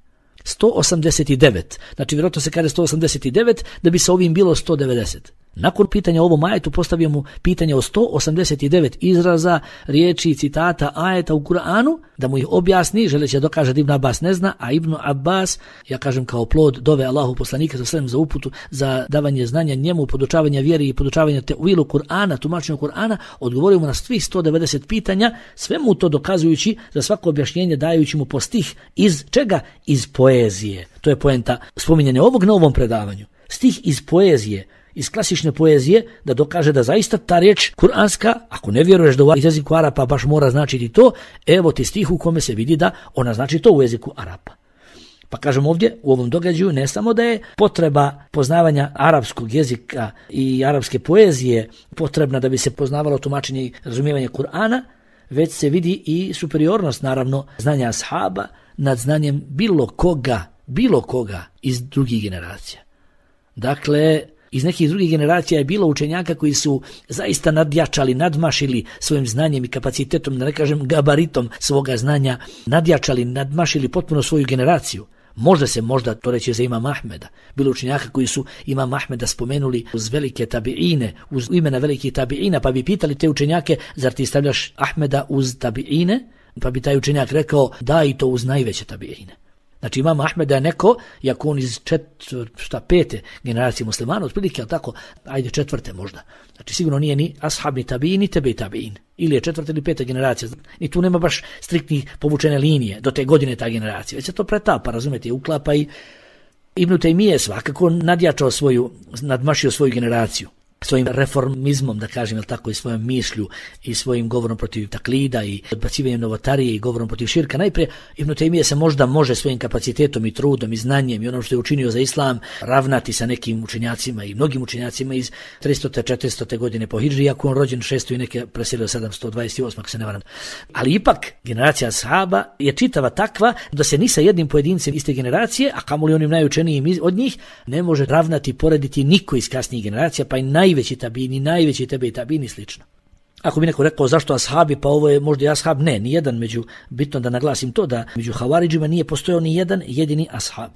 189, znači vjerojatno se kaže 189 da bi sa ovim bilo 190. Nakon pitanja o ovom ajetu postavio mu pitanje o 189 izraza, riječi, citata, ajeta u Kur'anu, da mu ih objasni, želeći da dokaže da Ibn Abbas ne zna, a Ibn Abbas, ja kažem kao plod dove Allahu poslanika za uputu, za davanje znanja njemu, podučavanje vjeri i podučavanje tevilu Kur'ana, tumačenju Kur'ana, odgovorio mu na svih 190 pitanja, sve mu to dokazujući za svako objašnjenje dajući mu po stih iz čega? Iz poezije. To je poenta spominjanja ovog na ovom predavanju. Stih iz poezije, iz klasične poezije, da dokaže da zaista ta riječ kuranska, ako ne vjeruješ da u jeziku Arapa baš mora značiti to, evo ti stih u kome se vidi da ona znači to u jeziku Arapa. Pa kažem ovdje, u ovom događaju ne samo da je potreba poznavanja arapskog jezika i arapske poezije potrebna da bi se poznavalo tumačenje i razumijevanje Kur'ana, već se vidi i superiornost, naravno, znanja ashaba nad znanjem bilo koga iz drugih generacija. Dakle, iz nekih drugih generacija je bilo učenjaka koji su zaista nadjačali, nadmašili svojim znanjem i kapacitetom, da ne kažem gabaritom svoga znanja, nadjačali, nadmašili potpuno svoju generaciju. Možda to reći za Imam Ahmeda. Bilo učenjaka koji su Imam Ahmeda spomenuli uz velike tabiine, uz imena velikih tabiina, pa bi pitali te učenjake, zar ti stavljaš Ahmeda uz tabiine? Pa bi taj učenjak rekao, da i to uz najveće tabiine. Znači imam Ahmeda je neko, iako on iz 5. generacije muslimana, otprilike, ali tako, ajde 4. možda. Znači sigurno nije ni ashab, ni tabiin, ni tebe tabiin. Ili je 4. ili 5. generacija. Ni tu nema baš striktnih povučene linije do te godine ta generacija. Već se to pretapa, razumete, uklapa i Ibn Taymije svakako nadmašio svoju generaciju. Svojim reformizmom, da kažem, tako, i svojom mišlju i svojim govorom protiv taklida i odbacivanjem novotarije i govorom protiv širka. Najprije Ibn Taymije se možda može svojim kapacitetom i trudom i znanjem i onom što je učinio za islam ravnati sa nekim učenjacima i mnogim učenjacima iz 300. 400. godine po hidži, iako on rođen 600 i neke preselio 728, ako se ne varam. Ali ipak generacija ashaba je čitava takva da se ni sa jednim pojedincem iste generacije, a kamoli onim najučenijim od njih, ne može ravnati, porediti niko iz kasnijih generacija, pa i najveći tabini, najveći tebe i tabini slično. Ako bi neko rekao zašto ashabi, pa ovo je možda i ashab, ne, nijedan bitno da naglasim to da među havaridžima nije postojao ni jedan jedini ashab.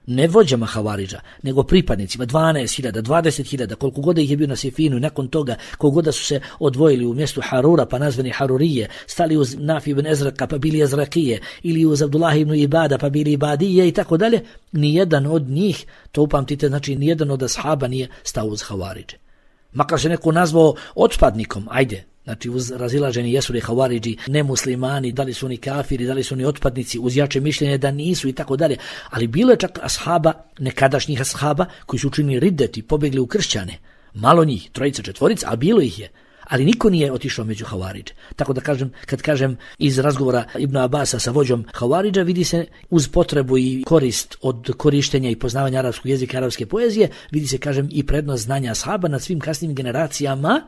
Ne vođama havaridža, nego pripadnicima, 12.000, 20.000, koliko god ih je bio na Sifinu i nakon toga, koliko god su se odvojili u mjestu Harura, pa nazvani Harurije, stali uz Nafi ibn Ezraka, pa bili Ezrakije, ili uz Abdullah ibn Ibada, pa bili Ibadije i tako dalje, nijedan od njih, to upamtite, znači nijedan od ashaba nije stao uz havaridže. Makar se neko nazvao otpadnikom, ajde, znači uz razilaženi jesu li havaridži nemuslimani, da li su oni kafiri, da li su oni otpadnici, uz jače mišljenje da nisu i tako dalje, ali bilo je čak ashaba, nekadašnjih ashaba, koji su učinili riddet i pobjegli u kršćane, malo njih, 3, 4, a bilo ih je, ali niko nije otišao među havaridže. Tako da kad kažem iz razgovora Ibn Abasa sa vođom havaridža, vidi se uz potrebu i korist od korištenja i poznavanja arapskog jezika, arapske poezije, vidi se, kažem, i prednost znanja ashaba nad svim kasnim generacijama,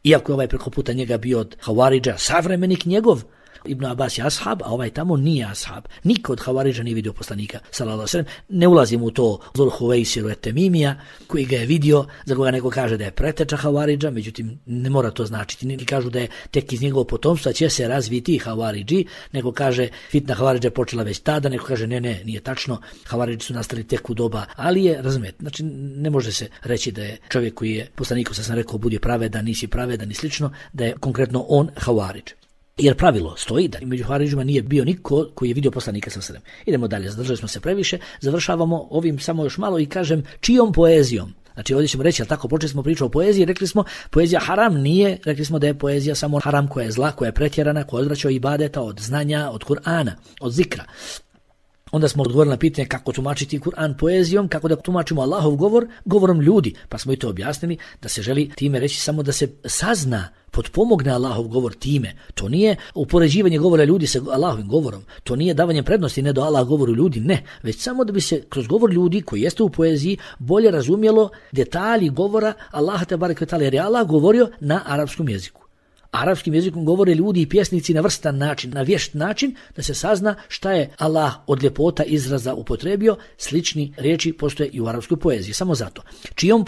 iako je ovaj preko puta njega bio od havaridža savremenik njegov. Ibn Abbas je ashab, a ovaj tamo nije ashab. Niko od havaridža nije vidio poslanika, sallallahu alejhi ve sellem. Ne ulazim u to Zul Huvejsiru et-Temimija, koji ga je vidio, za koga neko kaže da je preteča havaridža, međutim ne mora to značiti. Neki kažu da je tek iz njegovog potomstva će se razviti havaridži, neko kaže fitna havaridža je počela već tada, neko kaže ne, nije tačno, havaridži su nastali tek u doba Alije, razumijete. Znači ne može se reći da je čovjek koji je poslaniku, sad sam rekao, budi pravedan, nisi pravedan i slično, da je konkretno on havaridž. Jer pravilo stoji da među havaridžima nije bio niko koji je vidio poslanika sallallahu alejhi ve sellem. Idemo dalje, zadržali smo se previše, završavamo ovim samo još malo i kažem čijom poezijom. Znači ovdje ćemo reći, ali tako, počeli smo pričati o poeziji, rekli smo poezija haram nije, rekli smo da je poezija samo haram koja je zla, koja je pretjerana, koja odvraća od ibadeta, od znanja, od Kur'ana, od zikra. Onda smo odgovorili na pitanje kako tumačiti Kur'an poezijom, kako da tumačimo Allahov govor govorom ljudi, pa smo i to objasnili da se želi time reći samo da se sazna, potpomogne Allahov govor time. To nije upoređivanje govora ljudi sa Allahovim govorom, to nije davanje prednosti ne do Allah govoru ljudi, ne, već samo da bi se kroz govor ljudi koji jeste u poeziji bolje razumjelo detalji govora Allaha te barek ve taala, jer je Allah govorio na arapskom jeziku. Arapskim jezikom govore ljudi i pjesnici na vrstan način, na vješt način, da se sazna šta je Allah od ljepota izraza upotrebio. Slični riječi postoje i u arapskoj poeziji. Samo zato. Čijom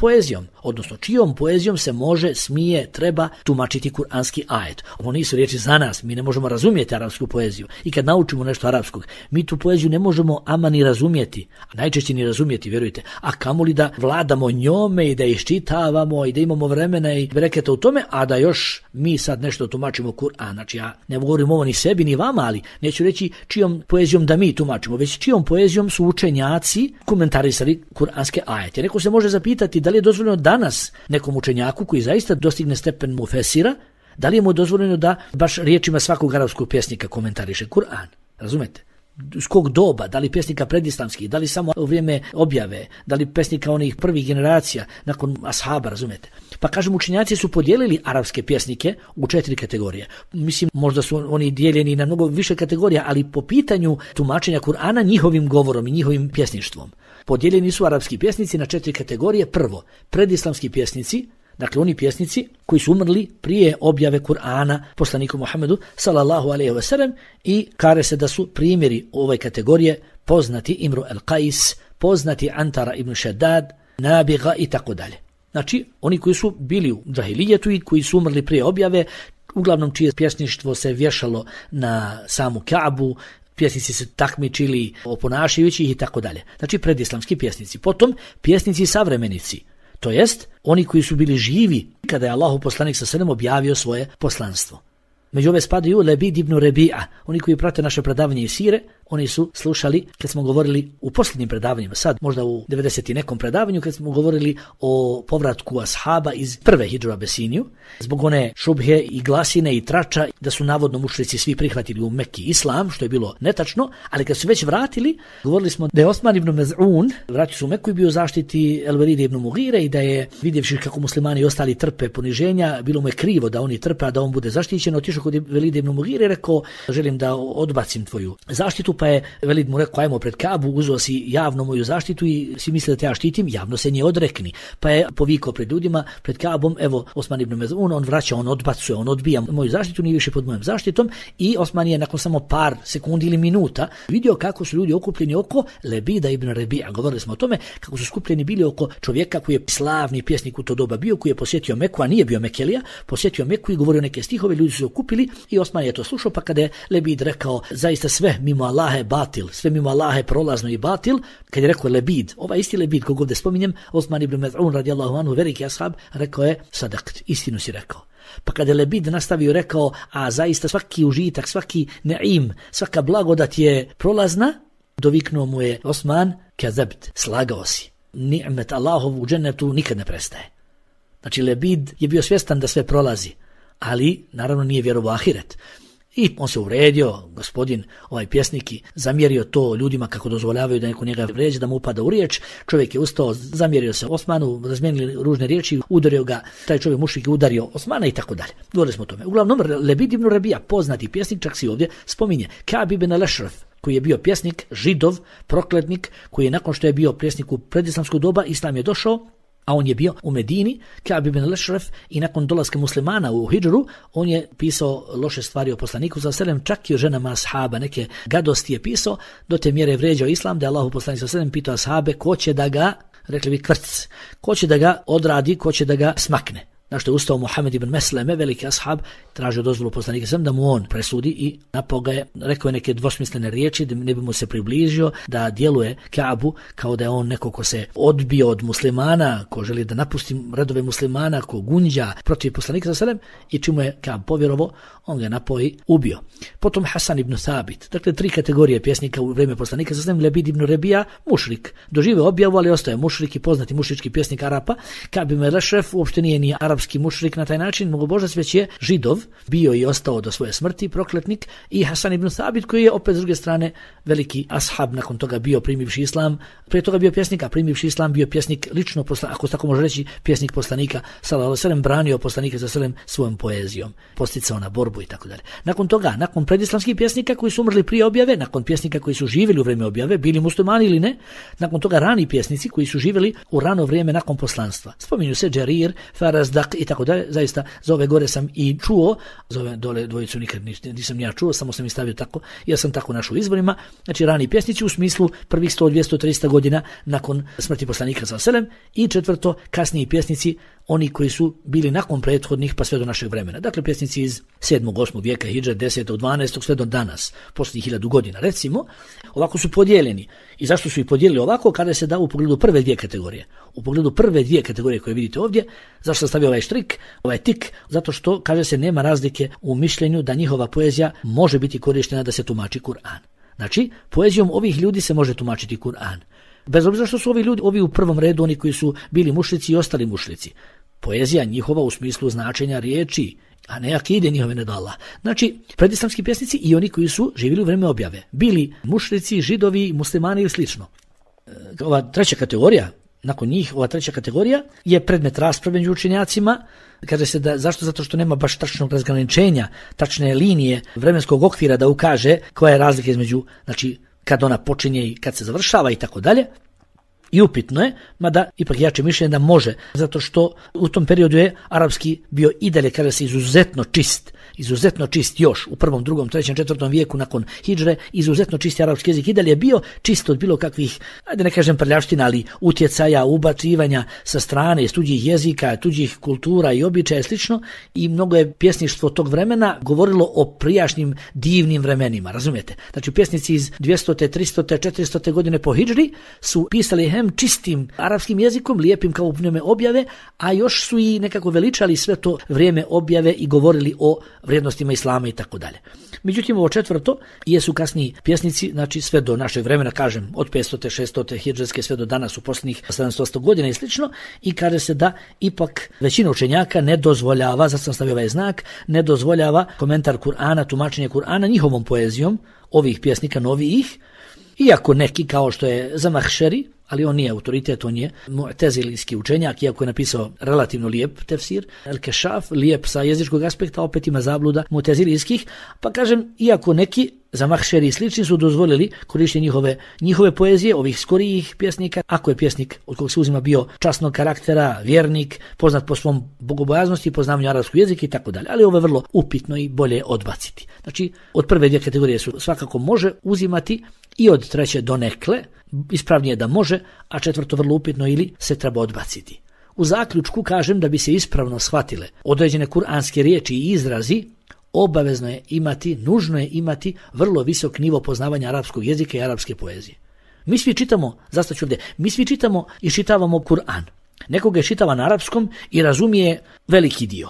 poezijom se može, smije, treba tumačiti kuranski ajet. Ovo nisu riječi za nas, mi ne možemo razumjeti arapsku poeziju. I kad naučimo nešto arapskog, mi tu poeziju ne možemo ama ni razumjeti, a najčešće ni razumjeti, vjerujte. A kamoli da vladamo njome i da iščitavamo i da imamo vremena i bereketa u tome, a da još mi sad nešto tumačimo Kur'an. Znači ja ne govorim ovo ni sebi ni vama, ali neću reći čijom poezijom da mi tumačimo, već čijom poezijom su učenjaci komentarisali kuranske ajete. Neko se može zapitati da li je dozvoljeno danas nekom učenjaku koji zaista dostigne stepen mufesira, da li je mu dozvoljeno da baš riječima svakog arapskog pjesnika komentariše Kur'an. Razumete? S kog doba, da li pjesnika predislamskih, da li samo u vrijeme objave, da li pjesnika onih prvih generacija nakon ashaba, razumete? Pa kažem, učenjaci su podijelili arapske pjesnike u 4 kategorije. Mislim, možda su oni dijeljeni na mnogo više kategorija, ali po pitanju tumačenja Kur'ana njihovim govorom i njihovim pjesništvom. Podijeljeni su arapski pjesnici na 4 kategorije. Prvo, predislamski pjesnici, dakle oni pjesnici koji su umrli prije objave Kur'ana poslaniku Muhammedu sallallahu alejhi ve sellem, i kaže se da su primjeri ove kategorije poznati Imru el-Qais, poznati Antara ibn Shaddad, Nabiga i tako dalje. Znači oni koji su bili u džahilijetu i koji su umrli prije objave, uglavnom čije pjesništvo se vješalo na samu Ka'bu, pjesnici se takmičili oponašajući ih i tako dalje. Znači predislamski pjesnici. Potom pjesnici savremenici, to jest oni koji su bili živi kada je Allahov poslanik sallallahu alejhi ve sellem objavio svoje poslanstvo. Među ove spadaju Lebid ibn Rebi'a, oni koji prate naše predavanje i sire, oni su slušali kad smo govorili u posljednjim predavanjima, sad možda u 90. nekom predavanju kad smo govorili o povratku ashaba iz prve hidžre u Abesiniju, zbog one šubhe i glasine i trača da su navodno mušrici svi prihvatili u Mekki islam, što je bilo netačno, ali kad su već vratili, govorili smo da je Osman ibn Mez'un vratio se u Mekku i bio u zaštiti El-Velida ibn Mugire i da je, vidjevši kako muslimani i ostali trpe poniženja, bilo mu je krivo da oni trpe, a da on bude zaštićen, otišao kod Velida ibn Mugire i rekao, želim da odbacim tvoju zaštitu, pa je Velid mu rekao, ajmo pred Kabu, uzeo si javno moju zaštitu i si misli da te ja štitim, javno se nje odrekni. Pa je povikao pred ljudima, pred Kabom, evo Osman ibn Mez'un, on vraća, on odbacuje, on odbija moju zaštitu, nije više pod mojom zaštitom i Osman je nakon samo par sekundi ili minuta vidio kako su ljudi okupljeni oko Lebida ibn Rebija. Govorili smo o tome kako su skupljeni bili oko čovjeka koji je slavni pjesnik u to doba bio, koji je posjetio Meku, a nije bio Mekelija, posjetio Meku i govorio neke stihove, ljudi su se okupili i Osman je to slušao, pa kada je Lebid rekao, zaista sve mimo Allaha je batil, sve mimo Allaha je prolazno i batil, kad je rekao Lebid, ovaj isti Lebid kog ovdje spominjem, Osman ibn Mez'un radijallahu anhu, veliki ashab, rekao je, sadakt, istinu si rekao. Pa kada je Lebid nastavio rekao, a zaista svaki užitak, svaki ne'im, svaka blagodat je prolazna, doviknuo mu je Osman, kazabt, slagao si. Ni'met Allahov u džennetu nikad ne prestaje. Znači Lebid je bio svjestan da sve prolazi, ali naravno nije vjerovao ahiret. I on se uvredio, gospodin, ovaj pjesnik, i zamjerio to ljudima kako dozvoljavaju da neko njega vređe, da mu upada u riječ. Čovjek je ustao, zamjerio se Osmanu, razmijenili ružne riječi, udario ga, taj čovjek mušrik je udario Osmana i tako dalje. Govorili smo o tome. Uglavnom, Lebid ibn Rebija, poznati pjesnik, čak si ovdje spominje, Ka'b ibn al-Ashraf, koji je bio pjesnik, židov, prokletnik, koji je nakon što je bio pjesnik u predislamskog doba, islam je došao, a on je bio u Medini, Ka'b ibn al-Ashraf, i nakon dolaska muslimana u hidžru, on je pisao loše stvari o poslaniku sallallahu alejhi ve sellem, čak i o ženama ashaba, neke gadosti je pisao, do te mjere vrijeđao islam, da je Allahu poslanik sallallahu alejhi ve sellem pitao ashabe ko će da ga, rekli bi kvrc, ko će da ga odradi, ko će da ga smakne. Na što je ustao Muhammed ibn Mesleme, veliki ashab, tražio dozvolu poslanika sam da mu on presudi i napao ga je, rekao je neke dvosmislene riječi da ne bi mu se približio, da djeluje Ka'bu kao da je on neko ko se odbio od muslimana, ko želi da napusti redove muslimana, ko gunđa protiv poslanika sallam, i čim mu je Ka'b povjerovao, on ga napao i ubio. Potom Hasan ibn Thabit, dakle 3 kategorije pjesnika u vrijeme poslanika sallam, Lebid ibn Rebija, mušrik, doživio objavu, ali ostaje mušrik i poznati mušrički pjesnik Arapa. Ka'b ibn al-Ashraf uopšte nije ni arapski mušrik na taj način, mnogobožac, već je židov, bio i ostao do svoje smrti, prokletnik, i Hasan ibn Thabit koji je opet s druge strane veliki ashab, nakon toga bio primivši islam, prije toga bio pjesnik, a primivši islam bio pjesnik lično, ako tako može reći, pjesnik poslanika sallallahu alejhi ve sellem, branio poslanika sallallahu alejhi ve sellem svojom poezijom, posticao na borbu i tako dalje. Nakon toga, nakon predislamskih pjesnika koji su umrli prije objave, nakon pjesnika koji su živjeli u vrijeme objave, bili muslimani ili ne, nakon toga rani pjesnici koji su živjeli u rano vrijeme nakon poslanstva. Spominju se Džerir, Farazdak i tako dalje. Zaista za ove gore sam i čuo, za ove dole dvojicu nikad nisam ja čuo, samo sam ih stavio tako, ja sam tako našao u izvorima. Znači rani pjesnici u smislu prvih 100, 200, 300 godina nakon smrti poslanika sallallahu alejhi ve sellem, i četvrto kasniji pjesnici, oni koji su bili nakon prethodnih pa sve do našeg vremena. Dakle pjesnici iz 7. 8. vijeka hidže, 10. 12. sve do danas, posljednjih 1000 godina recimo, ovako su podijeljeni. I zašto su ih podijelili ovako? Kada se da u pogledu prve dvije kategorije. U pogledu prve dvije kategorije koje vidite ovdje, zašto sam stavio ovaj štrik, ovaj tik? Zato što, kaže se, nema razlike u mišljenju da njihova poezija može biti korištena da se tumači Kur'an. Znači, poezijom ovih ljudi se može tumačiti Kur'an. Bez obzira što su ovi ljudi, ovi u prvom redu, oni koji su bili mušrici i ostali mušrici. Poezija njihova u smislu značenja riječi, a ne akide njihove nedala. Znači, predislamski pjesnici i oni koji su živjeli u vrijeme objave. Bili mušrici, židovi, muslimani ili slično. Ova treća kategorija, nakon njih, ova treća kategorija je predmet rasprave među učenjacima. Kaže se da, zašto? Zato što nema baš tačnog razgraničenja, tačne linije vremenskog okvira da ukaže koja je razlika između, znači, kad ona počinje i kad se završava i tako dalje. I upitno je, mada ipak jače mišljenje da može, zato što u tom periodu je arapski bio i dalje, kada se izuzetno čist još u 1., 2., 3., 4. vijeku nakon hidžre, izuzetno čisti arapski jezik i dalje je bio čist od bilo kakvih, ajde ne kažem prljavština, ali utjecaja, ubacivanja sa strane, iz tuđih jezika, tuđih kultura i običaja i slično, i mnogo je pjesništvo tog vremena govorilo o prijašnjim divnim vremenima, razumijete? Znači pjesnici iz 200., 300., 400. godine po hidžri su pisali hem čistim arapskim jezikom, lijepim kao u vrijeme objave, a još su i nekako veličali sve to vrijeme objave i govorili o vrijednostima islama i tako dalje. Međutim, ovo četvrto jesu kasniji pjesnici, znači sve do našeg vremena, kažem, od 500. 600. hidžretske sve do danas u posljednjih 700 godina i slično, i kaže se da ipak većina učenjaka ne dozvoljava, zato sam stavio ovaj znak, ne dozvoljava komentar Kur'ana, tumačenje Kur'ana njihovom poezijom ovih pjesnika novijih, iako neki kao što je Zamahšeri, ali on nije autoritet, on je mu'tezilijski učenjak, iako je napisao relativno lijep tefsir, El-Kešaf, lijep sa jezičkog aspekta, opet ima zabluda mu'tezilijskih, pa kažem, iako neki Zamahšeri i slični su dozvolili korištenje njihove poezije, ovih skorijih pjesnika, ako je pjesnik od kog se uzima bio časnog karaktera, vjernik, poznat po svom bogobojaznosti, poznavanju arapskog jezika i tako dalje, ali ovo je vrlo upitno i bolje odbaciti. Znači, od prve dvije kategorije su svakako može uzimati i od treće donekle, ispravnije da može, a četvrto vrlo upitno ili se treba odbaciti. U zaključku kažem da bi se ispravno shvatile određene kuranske riječi i izrazi, obavezno je imati, nužno je imati vrlo visok nivo poznavanja arapskog jezika i arapske poezije. Mi svi čitamo, zastaću ovdje, mi svi čitamo i čitavamo Kur'an. Nekoga je čitava na arapskom i razumije veliki dio.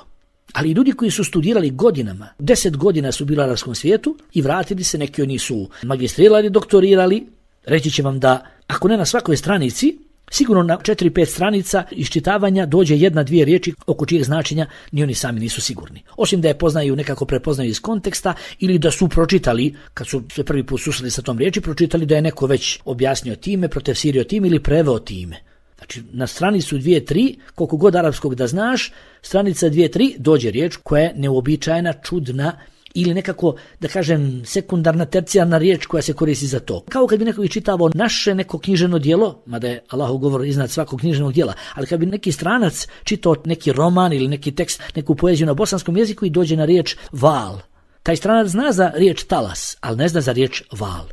Ali ljudi koji su studirali godinama, 10 godina su bili u arapskom svijetu i vratili se, neki od njih su magistrirali, doktorirali, reći će vam da ako ne na svakoj stranici, sigurno na 4-5 stranica iščitavanja dođe 1-2 riječi oko čijeg značenja ni oni sami nisu sigurni. Osim da je poznaju, nekako prepoznaju iz konteksta ili da su pročitali, kad su se prvi put susreli sa tom riječi, pročitali da je neko već objasnio time, protefsirio time ili preveo time. Znači, na stranicu 2-3, koliko god arapskog da znaš, stranica 2-3 dođe riječ koja je neuobičajena, čudna ili nekako, da kažem, sekundarna, tercijarna riječ koja se koristi za to. Kao kad bi neko čitavao naše neko knjiženo djelo, mada je Allahov govor iznad svakog književnog djela, ali kad bi neki stranac čitao neki roman ili neki tekst, neku poeziju na bosanskom jeziku i dođe na riječ val. Taj stranac zna za riječ talas, ali ne zna za riječ val.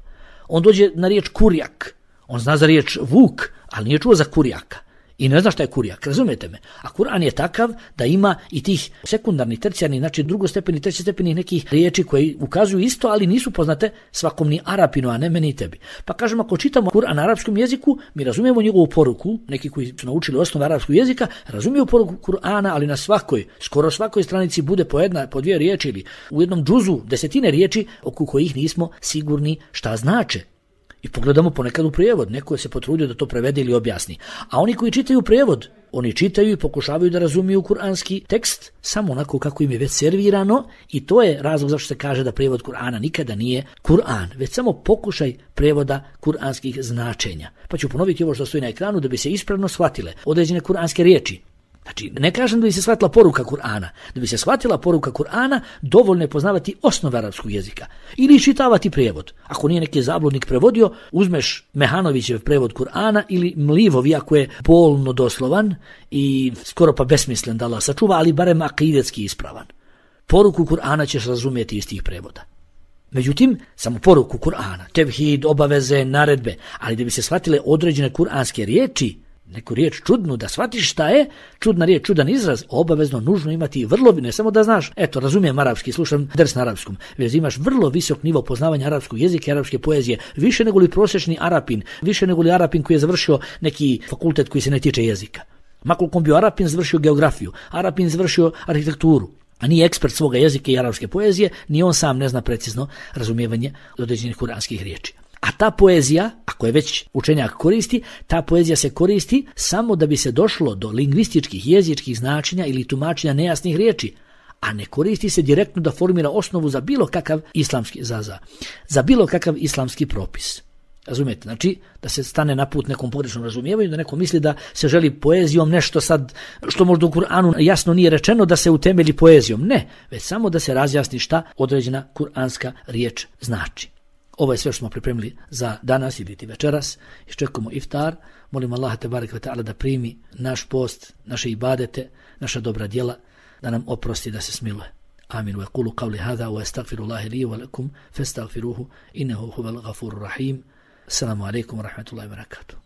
On dođe na riječ kurjak, on zna za riječ vuk, ali nije čuo za kurjaka. I ne zna šta je kurjak, razumijete me? A Kur'an je takav da ima i tih sekundarnih, tercijarnih, znači drugostepeni, trećestepeni nekih riječi koji ukazuju isto, ali nisu poznate svakom ni Arapinu, a ne meni i tebi. Pa kažem, ako čitamo Kur'an na arapskom jeziku, mi razumijemo njegovu poruku, neki koji su naučili osnove arapskog jezika, razumiju poruku Kur'ana, ali na skoro svakoj stranici bude po 2 riječi ili u jednom džuzu 10 riječi oko kojih nismo sigurni šta znače. I pogledamo ponekad u prijevod, neko se potrudio da to prevede ili objasni. A oni koji čitaju prijevod, oni čitaju i pokušavaju da razumiju kuranski tekst samo onako kako im je već servirano, i to je razlog zašto se kaže da prijevod Kur'ana nikada nije Kur'an, već samo pokušaj prijevoda kuranskih značenja. Pa ću ponoviti ovo što stoji na ekranu da bi se ispravno shvatile određene kuranske riječi. Znači, ne kažem da bi se shvatila poruka Kur'ana. Da bi se shvatila poruka Kur'ana, dovoljno je poznavati osnove arapskog jezika. Ili čitavati prijevod. Ako nije neki zabludnik prevodio, uzmeš Mehanovićev prevod Kur'ana ili Mlivov, iako je bolno doslovan i skoro pa besmislen da Allah sačuva, ali barem akidetski ispravan. Poruku Kur'ana ćeš razumjeti iz tih prevoda. Međutim, samo poruku Kur'ana, tevhid, obaveze, naredbe, ali da bi se shvatile određene kuranske riječi, neku riječ čudnu, da shvatiš šta je čudna riječ, čudan izraz, obavezno nužno imati vrlo, ne samo da znaš, eto, razumijem arapski, slušam ders na arapskom, već imaš vrlo visok nivo poznavanja arapskog jezika i arapske poezije, više nego li prosječni Arapin, više nego li Arapin koji je završio neki fakultet koji se ne tiče jezika. Makoliko bio Arapin, završio geografiju, Arapin završio arhitekturu, a nije ekspert svoga jezika i arapske poezije, ni on sam ne zna precizno razumijevanje određenih kuranskih riječi. A ta poezija, ako je već učenjak koristi, ta poezija se koristi samo da bi se došlo do lingvističkih, jezičkih značenja ili tumačenja nejasnih riječi, a ne koristi se direktno da formira osnovu za bilo kakav islamski za bilo kakav islamski propis. Razumijete? Znači, da se stane na put nekom pogrešnom razumijevanju, da neko misli da se želi poezijom nešto sad, što možda u Kur'anu jasno nije rečeno, da se utemelji poezijom. Ne, već samo da se razjasni šta određena kuranska riječ znači. Ovo je sve što smo pripremili za danas ili večeras. Iščekujemo iftar. Molim Allaha tebareke ve taala da primi naš post, naše ibadete, naša dobra djela, da nam oprosti, da se smiluje. Amin. Wa qulu qawli hadha wa astaghfirullaha li wa lakum fastaghfiruhu innahu huwal ghafurur rahim. Assalamu alaikum wa rahmatullahi wa barakatuh.